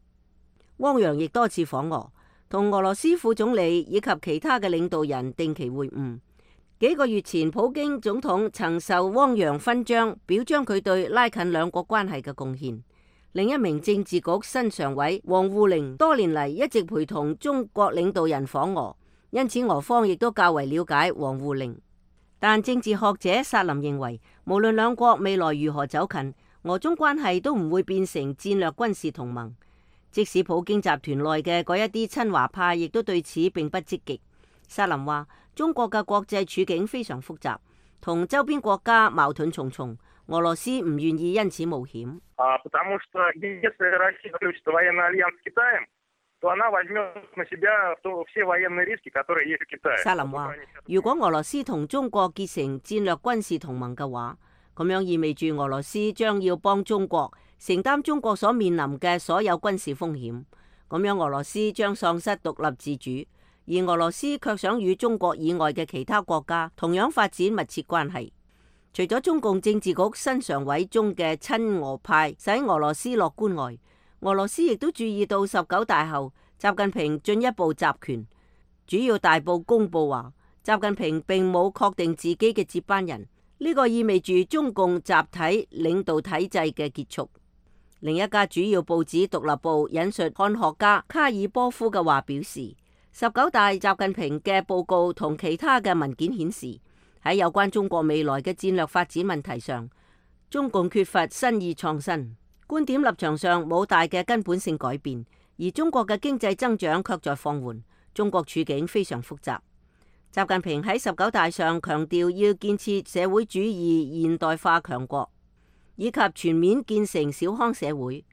汪洋亦多次訪俄，同俄羅斯副總理以及其他嘅領導人定期會晤。幾個月前，普京總統曾受汪洋勳章，表彰佢對拉近兩國關係嘅貢獻。另一名政治局新常委王滬寧多年嚟一直陪同中國領導人訪俄，因此俄方亦都較為了解王滬寧。但政治學者薩林認為，無論兩國未來如何走近，俄中關係都唔會變成戰略軍事同盟。即使普京集團內嘅嗰一啲親華派，亦都對此並不積極。薩林話，中國嘅國際處境非常複雜，同周邊國家矛盾重重。俄羅斯唔願意因此冒險。沙林話：如果俄羅斯同中國結成戰略軍事同盟嘅話，咁樣意味住俄羅斯將要幫中國承擔中國所面臨嘅所有軍事風險。咁樣俄羅斯將喪失獨立自主，而俄羅斯卻想與中國以外嘅其他國家同樣發展密切關係。除咗中共政治局新常委中嘅親俄派使俄羅斯樂觀外，俄羅斯亦都注意到十九大後習近平進一步集權，主要大報公佈話習近平並冇確定自己嘅接班人，呢、這個意味住中共集體領導體制嘅結束。另一家主要報紙獨立報引述漢學家卡爾波夫嘅話表示，十九大習近平嘅報告同其他嘅文件顯示，喺有關中國未來嘅戰略發展問題上，中共缺乏新意創新，觀點立場上冇大嘅根本性改變，而中國嘅經濟增長卻在放緩，中國處境非常複雜。習近平喺十九大上強調要建設社會主義現代化強國，以及全面建成小康社會。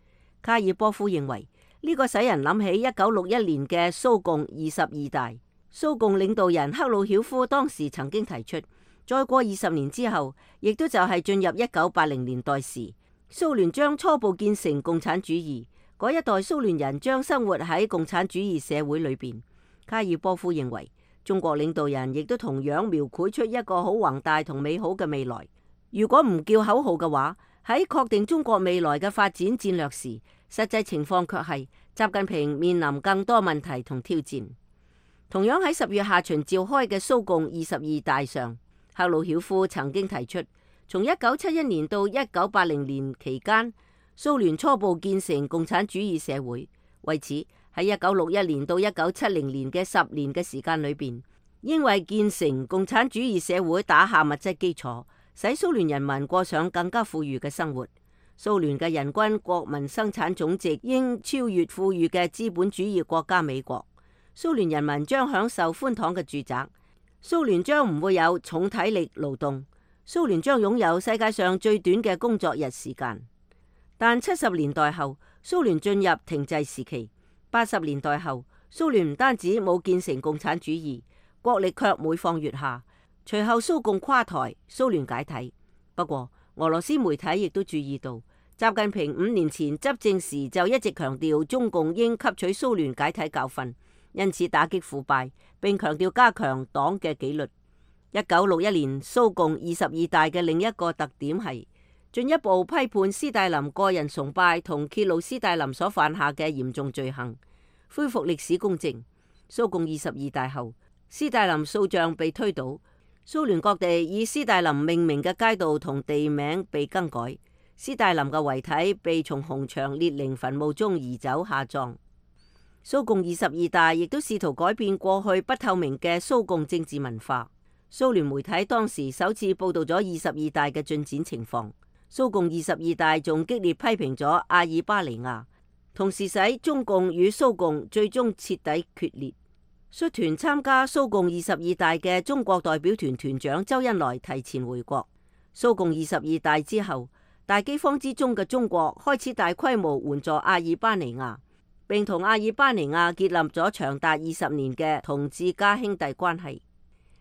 卡爾波夫認為呢、這個使人諗起一九六一年嘅蘇共二十二大，蘇共領導人赫魯曉夫當時曾經提出，再過二十年之後，亦都就係進入一九八零年代時，蘇聯將初步建成共產主義，嗰一代蘇聯人將生活喺共產主義社會裏邊。卡爾波夫認為，中國領導人亦都同樣描繪出一個好宏大同美好嘅未來。如果唔叫口號嘅話，喺確定中國未來嘅發展戰略時，實際情況卻係習近平面臨更多問題同挑戰。同樣喺十月下旬召開嘅蘇共二十二大上，赫魯曉夫曾經提出，從一九七一年到一九八零年期間，蘇聯初步建成共產主義社會。為此，喺一九六一年到一九七零年嘅十年嘅時間裏邊，應為建成共產主義社會打下物質基礎，使蘇聯人民過上更加富裕嘅生活。蘇聯嘅人均國民生產總值應超越富裕嘅資本主義國家美國。蘇聯人民將享受寬敞嘅住宅。蘇聯將唔會有重體力勞動，蘇聯將擁有世界上最短嘅工作日時間。但七十年代後，蘇聯進入停滯時期。八十年代後，蘇聯唔單止冇建成共產主義，國力卻每況愈下。隨後蘇共垮台，蘇聯解體。不過，俄羅斯媒體亦都注意到，習近平五年前執政時就一直強調中共應吸取蘇聯解體教訓，因此打擊腐敗，並強調加強黨嘅紀律。一九六一年蘇共二十二大嘅另一個特點係進一步批判斯大林個人崇拜同揭露斯大林所犯下嘅嚴重罪行，恢復歷史公正。蘇共二十二大後，斯大林塑像被推倒，蘇聯各地以斯大林命名嘅街道同地名被更改，斯大林嘅遺體被從紅場列寧墳墓中移走下葬。蘇共二十二大亦都試圖改變過去不透明嘅蘇共政治文化。蘇聯媒體當時首次報道咗二十二大嘅進展情況。蘇共二十二大仲激烈批評咗阿爾巴尼亞，同時使中共與蘇共最終徹底決裂。率團參加蘇共二十二大嘅中國代表團團長周恩來提前回國。蘇共二十二大之後，大饑荒之中嘅中國開始大規模援助阿爾巴尼亞，並同阿爾巴尼亞建立咗長達二十年嘅同志加兄弟關係。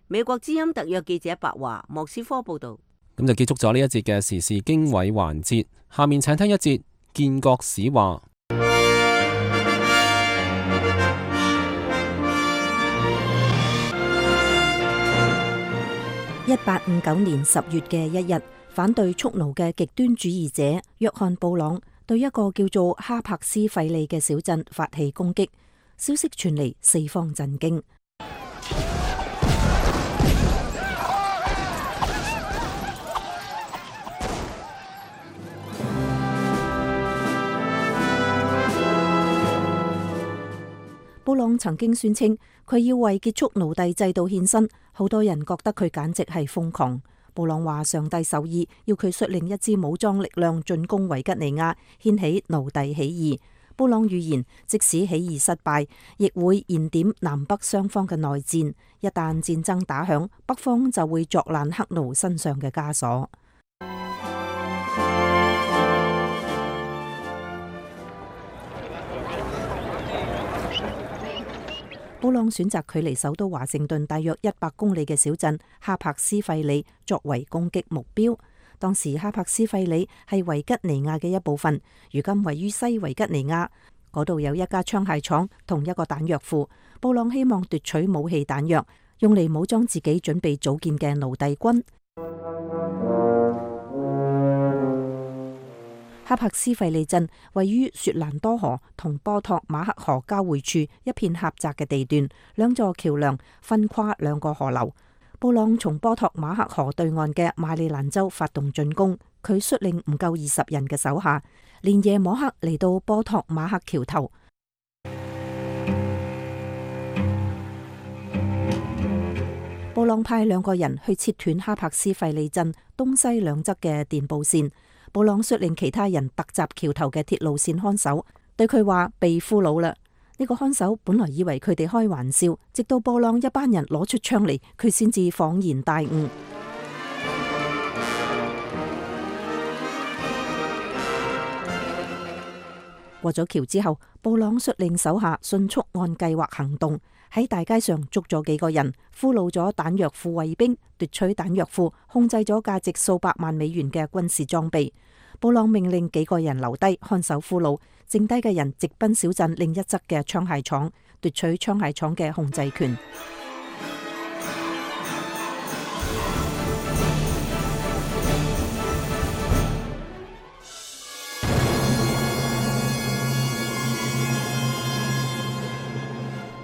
美國之音特約記者白華莫斯科報道。咁就結束咗呢一節嘅時事經緯環節，下面請聽一節建國史話。一八五九年十月嘅一日，反對蓄奴嘅極端主義者約翰布朗對一個叫做哈柏斯費利嘅小鎮發起攻擊，消息傳嚟，四方震驚。布朗曾經宣稱佢要為結束奴隸制度獻身，好多人覺得佢簡直係瘋狂。布朗話上帝授意要佢率領一支武裝力量進攻維吉尼亞，掀起奴隸起義。布朗預言，即使起義失敗，亦會燃點南北雙方嘅內戰。一旦戰爭打響，北方就會作爛黑奴身上嘅枷鎖。布朗選擇距離首都華盛頓大約一百公里嘅小鎮哈柏斯費里作為攻擊目標。當時哈柏斯費里係維吉尼亞嘅一部分，如今位於西維吉尼亞，嗰度有一家槍械廠同一個彈藥庫。布朗希望奪取武器彈藥，用嚟武裝自己準備組建嘅奴隸軍。哈柏斯費里鎮位於雪蘭多河同波托馬克河交匯處一片狹窄嘅地段，兩座橋梁分跨兩個河流。布朗從波托馬克河對岸嘅馬里蘭州發動進攻，佢率領唔夠二十人嘅手下，連夜摸黑嚟到波托馬克橋頭。布朗派兩個人去切斷哈柏斯費里鎮東西兩側嘅電報線。布朗率領其他人突襲橋頭嘅鐵路線看守，對佢話被俘虜啦。呢個看守本來以為佢哋開玩笑，直到布朗一班人攞出槍嚟，佢先至恍然大悟。過咗橋之後，布朗率領手下迅速按計劃行動，喺大街上捉咗幾個人，俘虜咗彈藥庫衛兵，奪取彈藥庫，控制咗價值數百萬美元嘅軍事裝備。布朗命令幾個人留低看守俘虜，剩低嘅人直奔小鎮另一側嘅槍械廠，奪取槍械廠嘅控制權。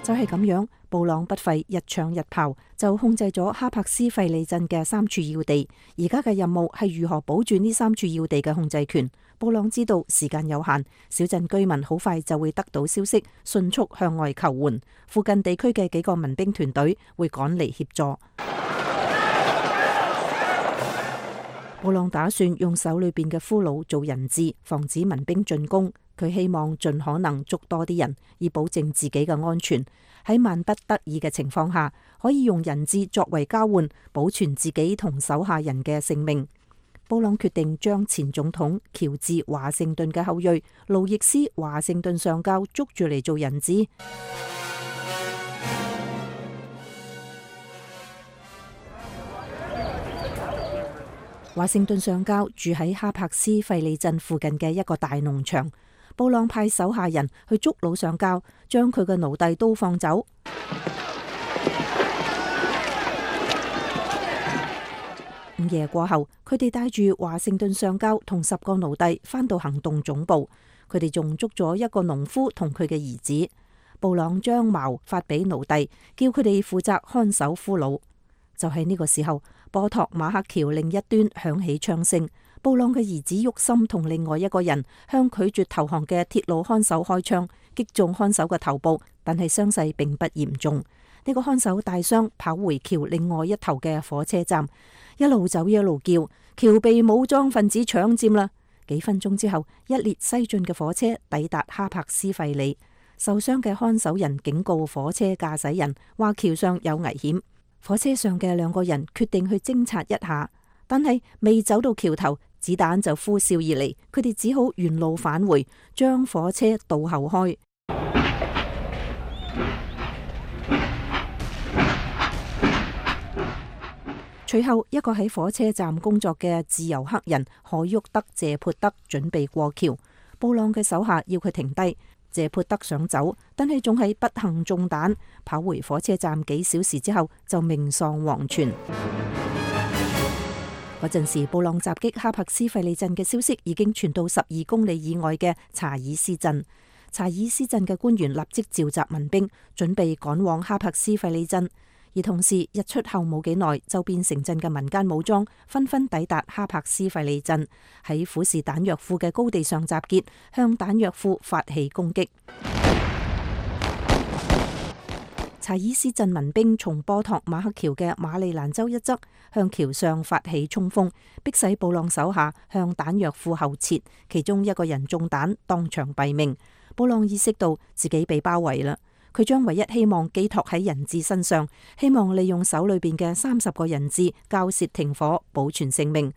就係咁樣，布朗不費一槍一炮就控制咗哈柏斯費里鎮嘅三處要地。而家嘅任務係如何保住呢三處要地嘅控制權。布朗知道時間有限，小鎮居民好快就會得到消息，迅速向外求援。附近地區嘅幾個民兵團隊會趕嚟協助。布朗打算用手裏邊嘅俘虜做人質，防止民兵進攻。佢希望盡可能捉多啲人，以保證自己嘅安全。喺萬不得已嘅情況下，可以用人質作為交換，保存自己同手下人嘅性命。布朗決定將前總統喬治華盛頓嘅後裔路易斯華盛頓上校捉住嚟做人質。華盛頓上校住喺哈柏斯費里鎮附近嘅一個大農場。布朗派手下人去捉老上校，將佢嘅奴隸都放走。午夜過後，佢哋帶住華盛頓上校同十個奴隸返到行動總部。佢哋仲捉咗一個農夫同佢嘅兒子。布朗將矛發俾奴隸，叫佢哋負責看守俘虜。就喺呢個時候，波托馬克橋另一端響起槍聲。布朗嘅兒子沃森同另外一個人向拒絕投降嘅鐵路看守開槍，擊中看守嘅頭部，但係傷勢並不嚴重。呢個看守大傷，跑回橋另外一頭嘅火車站，一路走一路叫：橋被武裝分子搶佔啦！幾分鐘之後，一列西進嘅火車抵達哈柏斯費里。受傷嘅看守人警告火車駕駛人，話橋上有危險。火車上嘅兩個人決定去偵察一下，但係未走到橋頭，子彈就呼嘯而嚟，佢哋只好原路返回，將火車倒後開。隨後，一個喺火車站工作嘅自由黑人海沃德謝潑德準備過橋，布朗嘅手下要佢停低。謝潑德想走，但係仲係不幸中彈，跑回火車站幾小時之後就命喪黃泉。嗰陣時，布朗襲擊哈柏斯費里鎮嘅消息已經傳到十二公里以外嘅查爾斯鎮。查爾斯鎮嘅官員立即召集民兵，準備趕往哈柏斯費里鎮。而同時，日出後冇幾耐，周邊城鎮嘅民間武裝紛紛抵達哈柏斯費里鎮，喺虎視彈藥庫嘅高地上集結，向彈藥庫發起攻擊。查爾斯鎮民兵從波托馬克橋嘅馬里蘭州一側向橋上發起衝鋒，迫使布朗手下向彈藥庫後撤，其中一個人中彈，當場斃命。布朗意識到自己被包圍啦。佢將唯一希望寄託喺人質身上，希望利用手裏邊嘅三十個人質交涉停火，保存性命。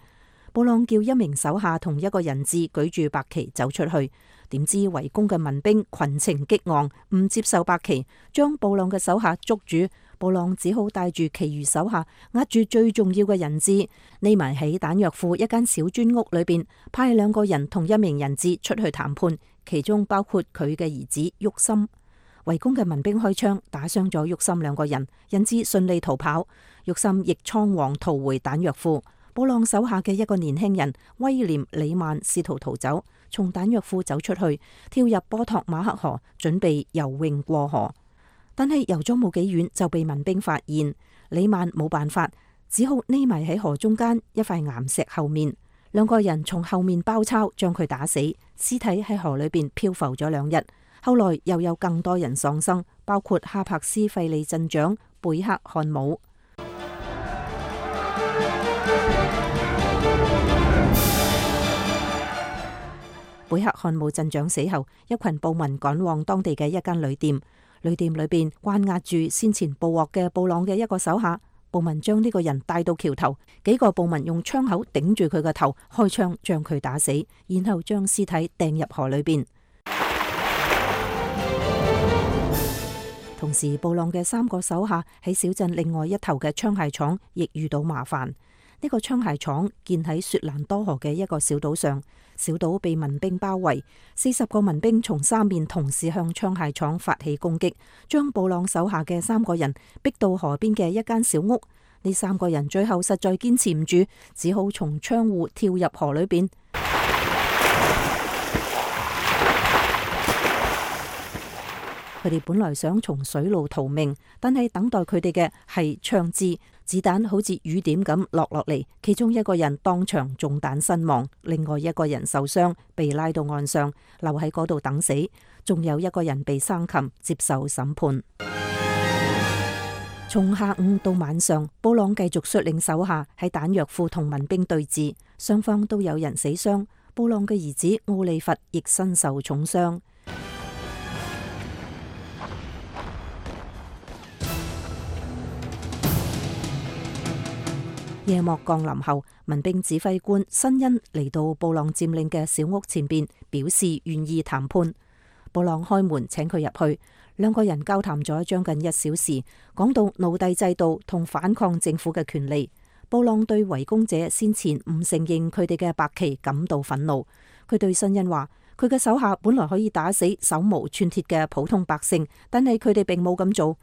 布朗叫一名手下同一個人質舉住白旗走出去，點知圍攻嘅民兵群情激昂，唔接受白旗，將布朗嘅手下捉住。布朗只好帶住其餘手下，握住最重要嘅人質，匿埋喺彈藥庫一間小磚屋裏邊，派兩個人同一名人質出去談判，其中包括佢嘅兒子沃森。圍攻嘅民兵開槍打傷咗沃森兩個人，人質順利逃跑，沃森亦倉皇逃回彈藥庫。布朗手下嘅一個年輕人威廉里曼試圖逃走，從彈藥庫走出去，跳入波托馬克河，準備游泳過河。但係游咗冇幾遠就被民兵發現，里曼冇辦法，只好匿埋喺河中間一塊岩石後面。兩個人從後面包抄，將佢打死，屍體喺河裏邊漂浮咗兩日。後來又有更多人喪生，包括哈柏斯費利鎮長貝克漢姆。貝克漢姆鎮長死後，一群暴民趕往當地嘅一間旅店。旅店裏邊關押住先前捕獲嘅布朗嘅一個手下，暴民將呢個人帶到橋頭，幾個暴民用槍口頂住佢個頭，開槍將佢打死，然後將屍體掟入河裏邊。同時，布朗嘅三個手下喺小鎮另外一頭嘅槍械廠亦遇到麻煩。呢個槍械廠建喺雪蘭多河嘅一個小島上，小島被民兵包圍，四十個民兵從三面同時向槍械廠發起攻擊，將布朗手下嘅三個人逼到河邊嘅一間小屋。呢三個人最後實在堅持唔住，只好從窗戶跳入河裏邊。佢哋本來想從水路逃命，但係等待佢哋嘅係槍支，子彈好似雨點咁落落嚟。其中一個人當場中彈身亡，另外一個人受傷，被拉到岸上，留喺嗰度等死。仲有一個人被生擒，接受審判。從下午到晚上，布朗繼續率領手下喺彈藥庫同民兵對峙，雙方都有人死傷。布朗嘅兒子奧利弗亦身受重傷。夜幕降臨後，民兵指揮官辛恩嚟到布朗佔領嘅小屋前邊，表示願意談判。布朗開門請佢入去，兩個人交談咗將近一小時，講到奴隸制度同反抗政府嘅權利。布朗對圍攻者先前唔承認佢哋嘅白旗感到憤怒。佢對辛恩話：佢嘅手下本來可以打死手無寸鐵嘅普通百姓，但係佢哋並冇咁做。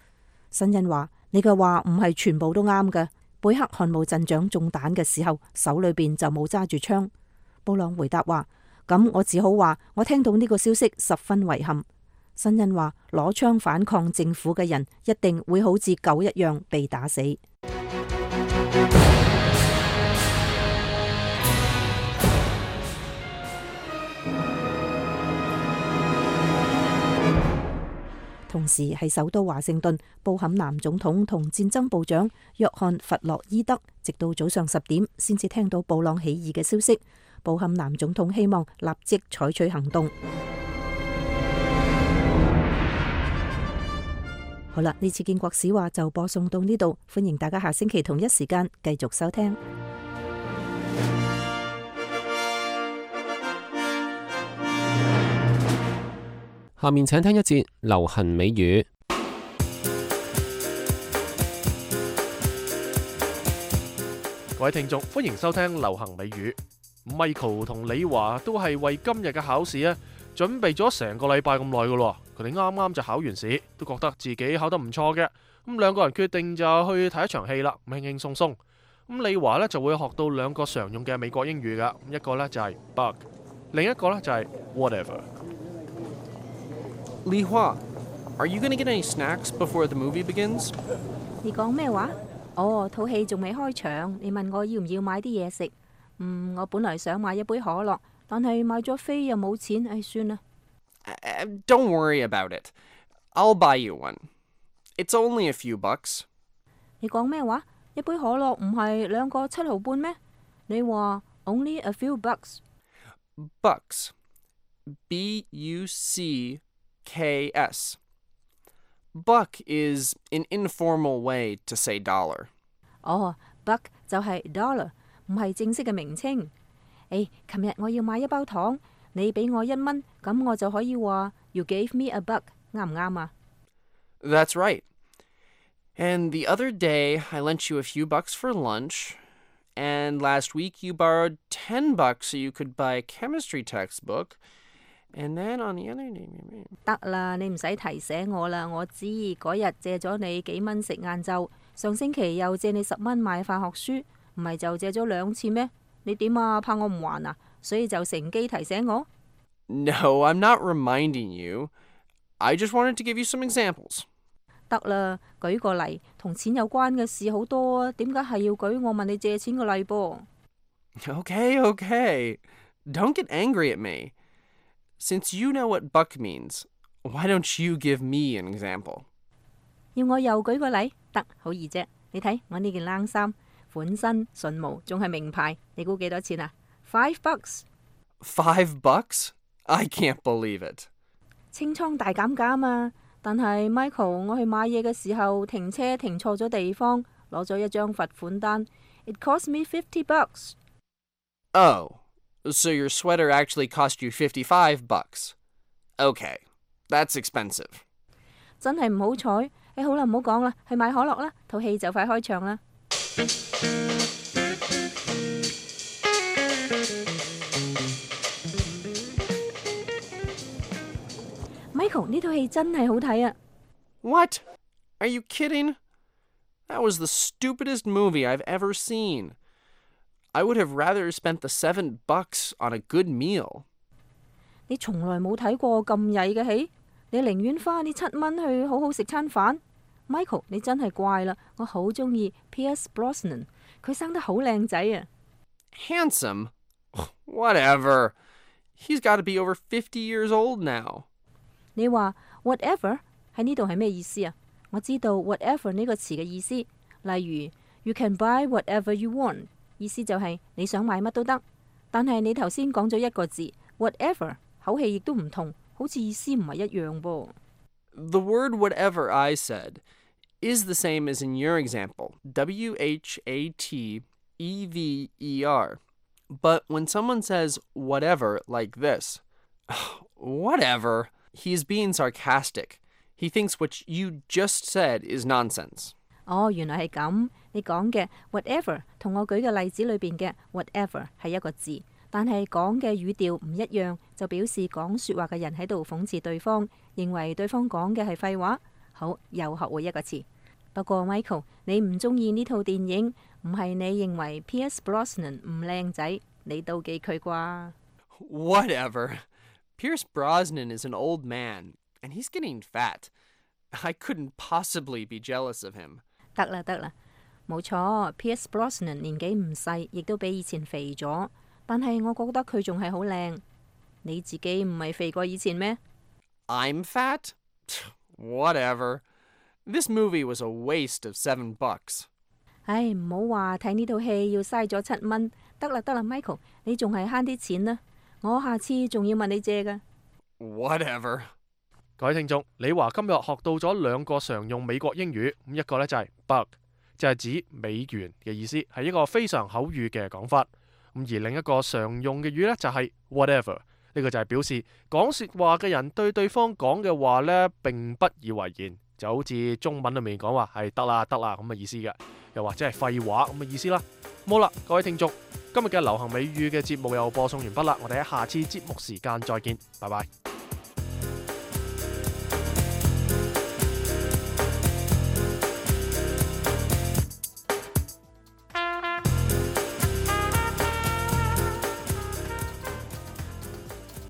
辛恩話：你嘅話唔係全部都啱嘅。貝克漢姆鎮長中彈嘅時候，手裏邊就冇揸住槍。布朗回答話：咁我只好話，我聽到呢個消息十分遺憾。辛恩話：攞槍反抗政府嘅人一定會好似狗一樣被打死。同時喺首都華盛頓，布坎南總統同戰爭部長約翰弗洛伊德直到早上十點先至聽到布朗起義嘅消息。布坎南總統希望立即採取行動。好啦，呢次建國史話就播送到呢度，歡迎大家下星期同一時間繼續收聽。下面請聽一節流行美語。各位聽眾，歡迎收聽流行美語。Michael 同李華都係為今日嘅考試啊，準備咗成個禮拜咁耐噶咯。佢哋啱啱就考完試，都覺得自己考得唔錯嘅。咁兩個人決定就去睇一場戲啦，輕輕鬆鬆。咁李華呢就會學到兩個常用嘅美國英語噶，一個呢就係 bug， 另一個呢就係 whatever。Li Hua, are you going to get any snacks before the movie begins? 你講咩話？哦，套戲仲未開場，你問我要唔要買啲嘢食？嗯，我本來想買一杯可樂，但係買咗飛又冇錢，唉，算啦。Uh, don't worry about it. I'll buy you one. It's only a few bucks. 你講咩話？一杯可樂唔係兩個七毫半咩？你話 only a few bucks? Bucks. B U C K S. Buck is an informal way to say dollar. 哦 ，buck 就係 dollar， 唔係正式嘅名稱。誒，琴日我要買一包糖，你俾我一蚊，咁咁我就可以話 You gave me a buck， 啱唔啱啊？ That's right. And the other day, I lent you a few bucks for lunch. And last week, you borrowed ten bucks so you could buy a chemistry textbook. And then on the other day... 得啦，你唔使提醒我啦，我知嗰日借咗你幾蚊食晏晝，上星期又借你十蚊買化學書，唔係就借咗兩次咩？你點啊？怕我唔還啊？所以就乘機提醒我。No, I'm not reminding you. I just wanted to give you some examples. 得啦，舉個例，同錢有關嘅事好多啊，點解係要舉我問你借錢嘅例噃？ Okay, okay. Don't get angry at me. Since you know what buck means, why don't you give me an example? 要我又舉個例？得，好易啫。你睇我呢件冷衫，款新順毛，仲係名牌，你估幾多錢啊？ Five bucks。 Five bucks? I can't believe it. 清倉大減價啊嘛，但係 Michael， 我去買嘢嘅時候停車停錯咗地方，攞咗一張罰款單。It cost me fifty bucks. Oh, so your sweater actually cost you fifty-five bucks. Okay, that's expensive. 真係唔好彩。誒，好啦，唔好講啦，去買可樂啦，套戲就快開場啦。Michael， 呢套戲真係好睇啊！ What? Are you kidding? That was the stupidest movie I've ever seen. I would have rather spent the seven bucks on a good meal. 你從來冇睇過咁曳嘅戲，你寧願花呢七蚊去好好食餐飯。Michael， 你真係怪啦，我好中意 Pierce Brosnan， 佢生得好靚仔啊。Handsome? Whatever. He's got to be over fifty years old now. 你話 whatever 喺呢度係咩意思啊？我知道 whatever 呢個詞嘅意思，例如 You can buy whatever you want， 意思就係你想買乜都得。但係你頭先講咗一個字 whatever， 口氣亦都唔同，好似意思唔係一樣噃。The word whatever I said is the same as in your example, W H A T E V E R. But when someone says whatever like this, whatever, he's being sarcastic. He thinks what you just said is nonsense. 哦，原來係咁。你講嘅 whatever 同我舉嘅例子裏邊嘅 whatever 係一個字，但係講嘅語調唔一樣，就表示講說話嘅人喺度諷刺對方，認為對方講嘅係廢話。好，又學會一個詞。不過 Michael， 你唔中意呢套電影，唔係你認為 Pierce Brosnan 唔靚仔，你妒忌佢啩？ Whatever. Pierce Brosnan is an old man, and he's getting fat. I couldn't possibly be jealous of him. 得啦得啦，冇錯 ，Pierce Brosnan 年紀唔細，亦都比以前肥咗。但係我覺得佢仲係好靚。你自己唔係肥過以前咩？ I'm fat? Whatever. This movie was a waste of seven bucks. 唉，唔好話睇呢套戲要嘥咗七蚊。得啦得啦 ，Michael， 你仲係慳啲錢啦。我下次仲要問你借㗎。Whatever. 各位聽眾，李華今日學到咗兩個常用美國英語，咁一個呢就係 buck，就係指美元嘅意思，係一個非常口語嘅講法。咁而另一個常用嘅語呢，就係 whatever，呢個就係表示講說話嘅人對對方講嘅話呢並不以為然，就好似中文裏面講話係得啦得啦咁嘅意思嘅，又或者係廢話咁嘅意思啦。好啦，各位聽眾，今日嘅流行美語嘅節目又播送完畢啦，我哋喺下次節目時間再見，拜拜。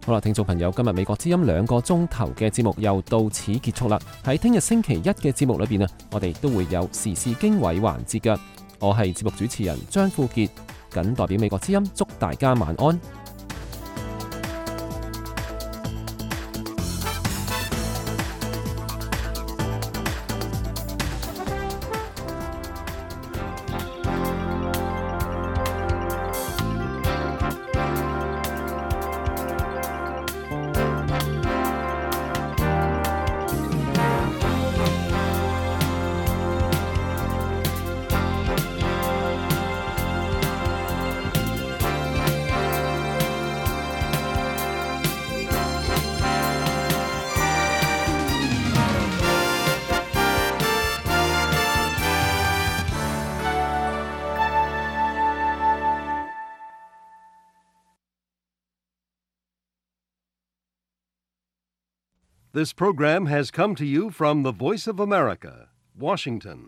好啦，聽眾朋友，今日美國之音兩個鐘頭嘅節目又到此結束啦。喺聽日星期一嘅節目裏邊啊，我哋都會有時事經緯環節嘅。我係節目主持人張富傑，謹代表美國之音祝大家晚安。This program has come to you from the Voice of America, Washington.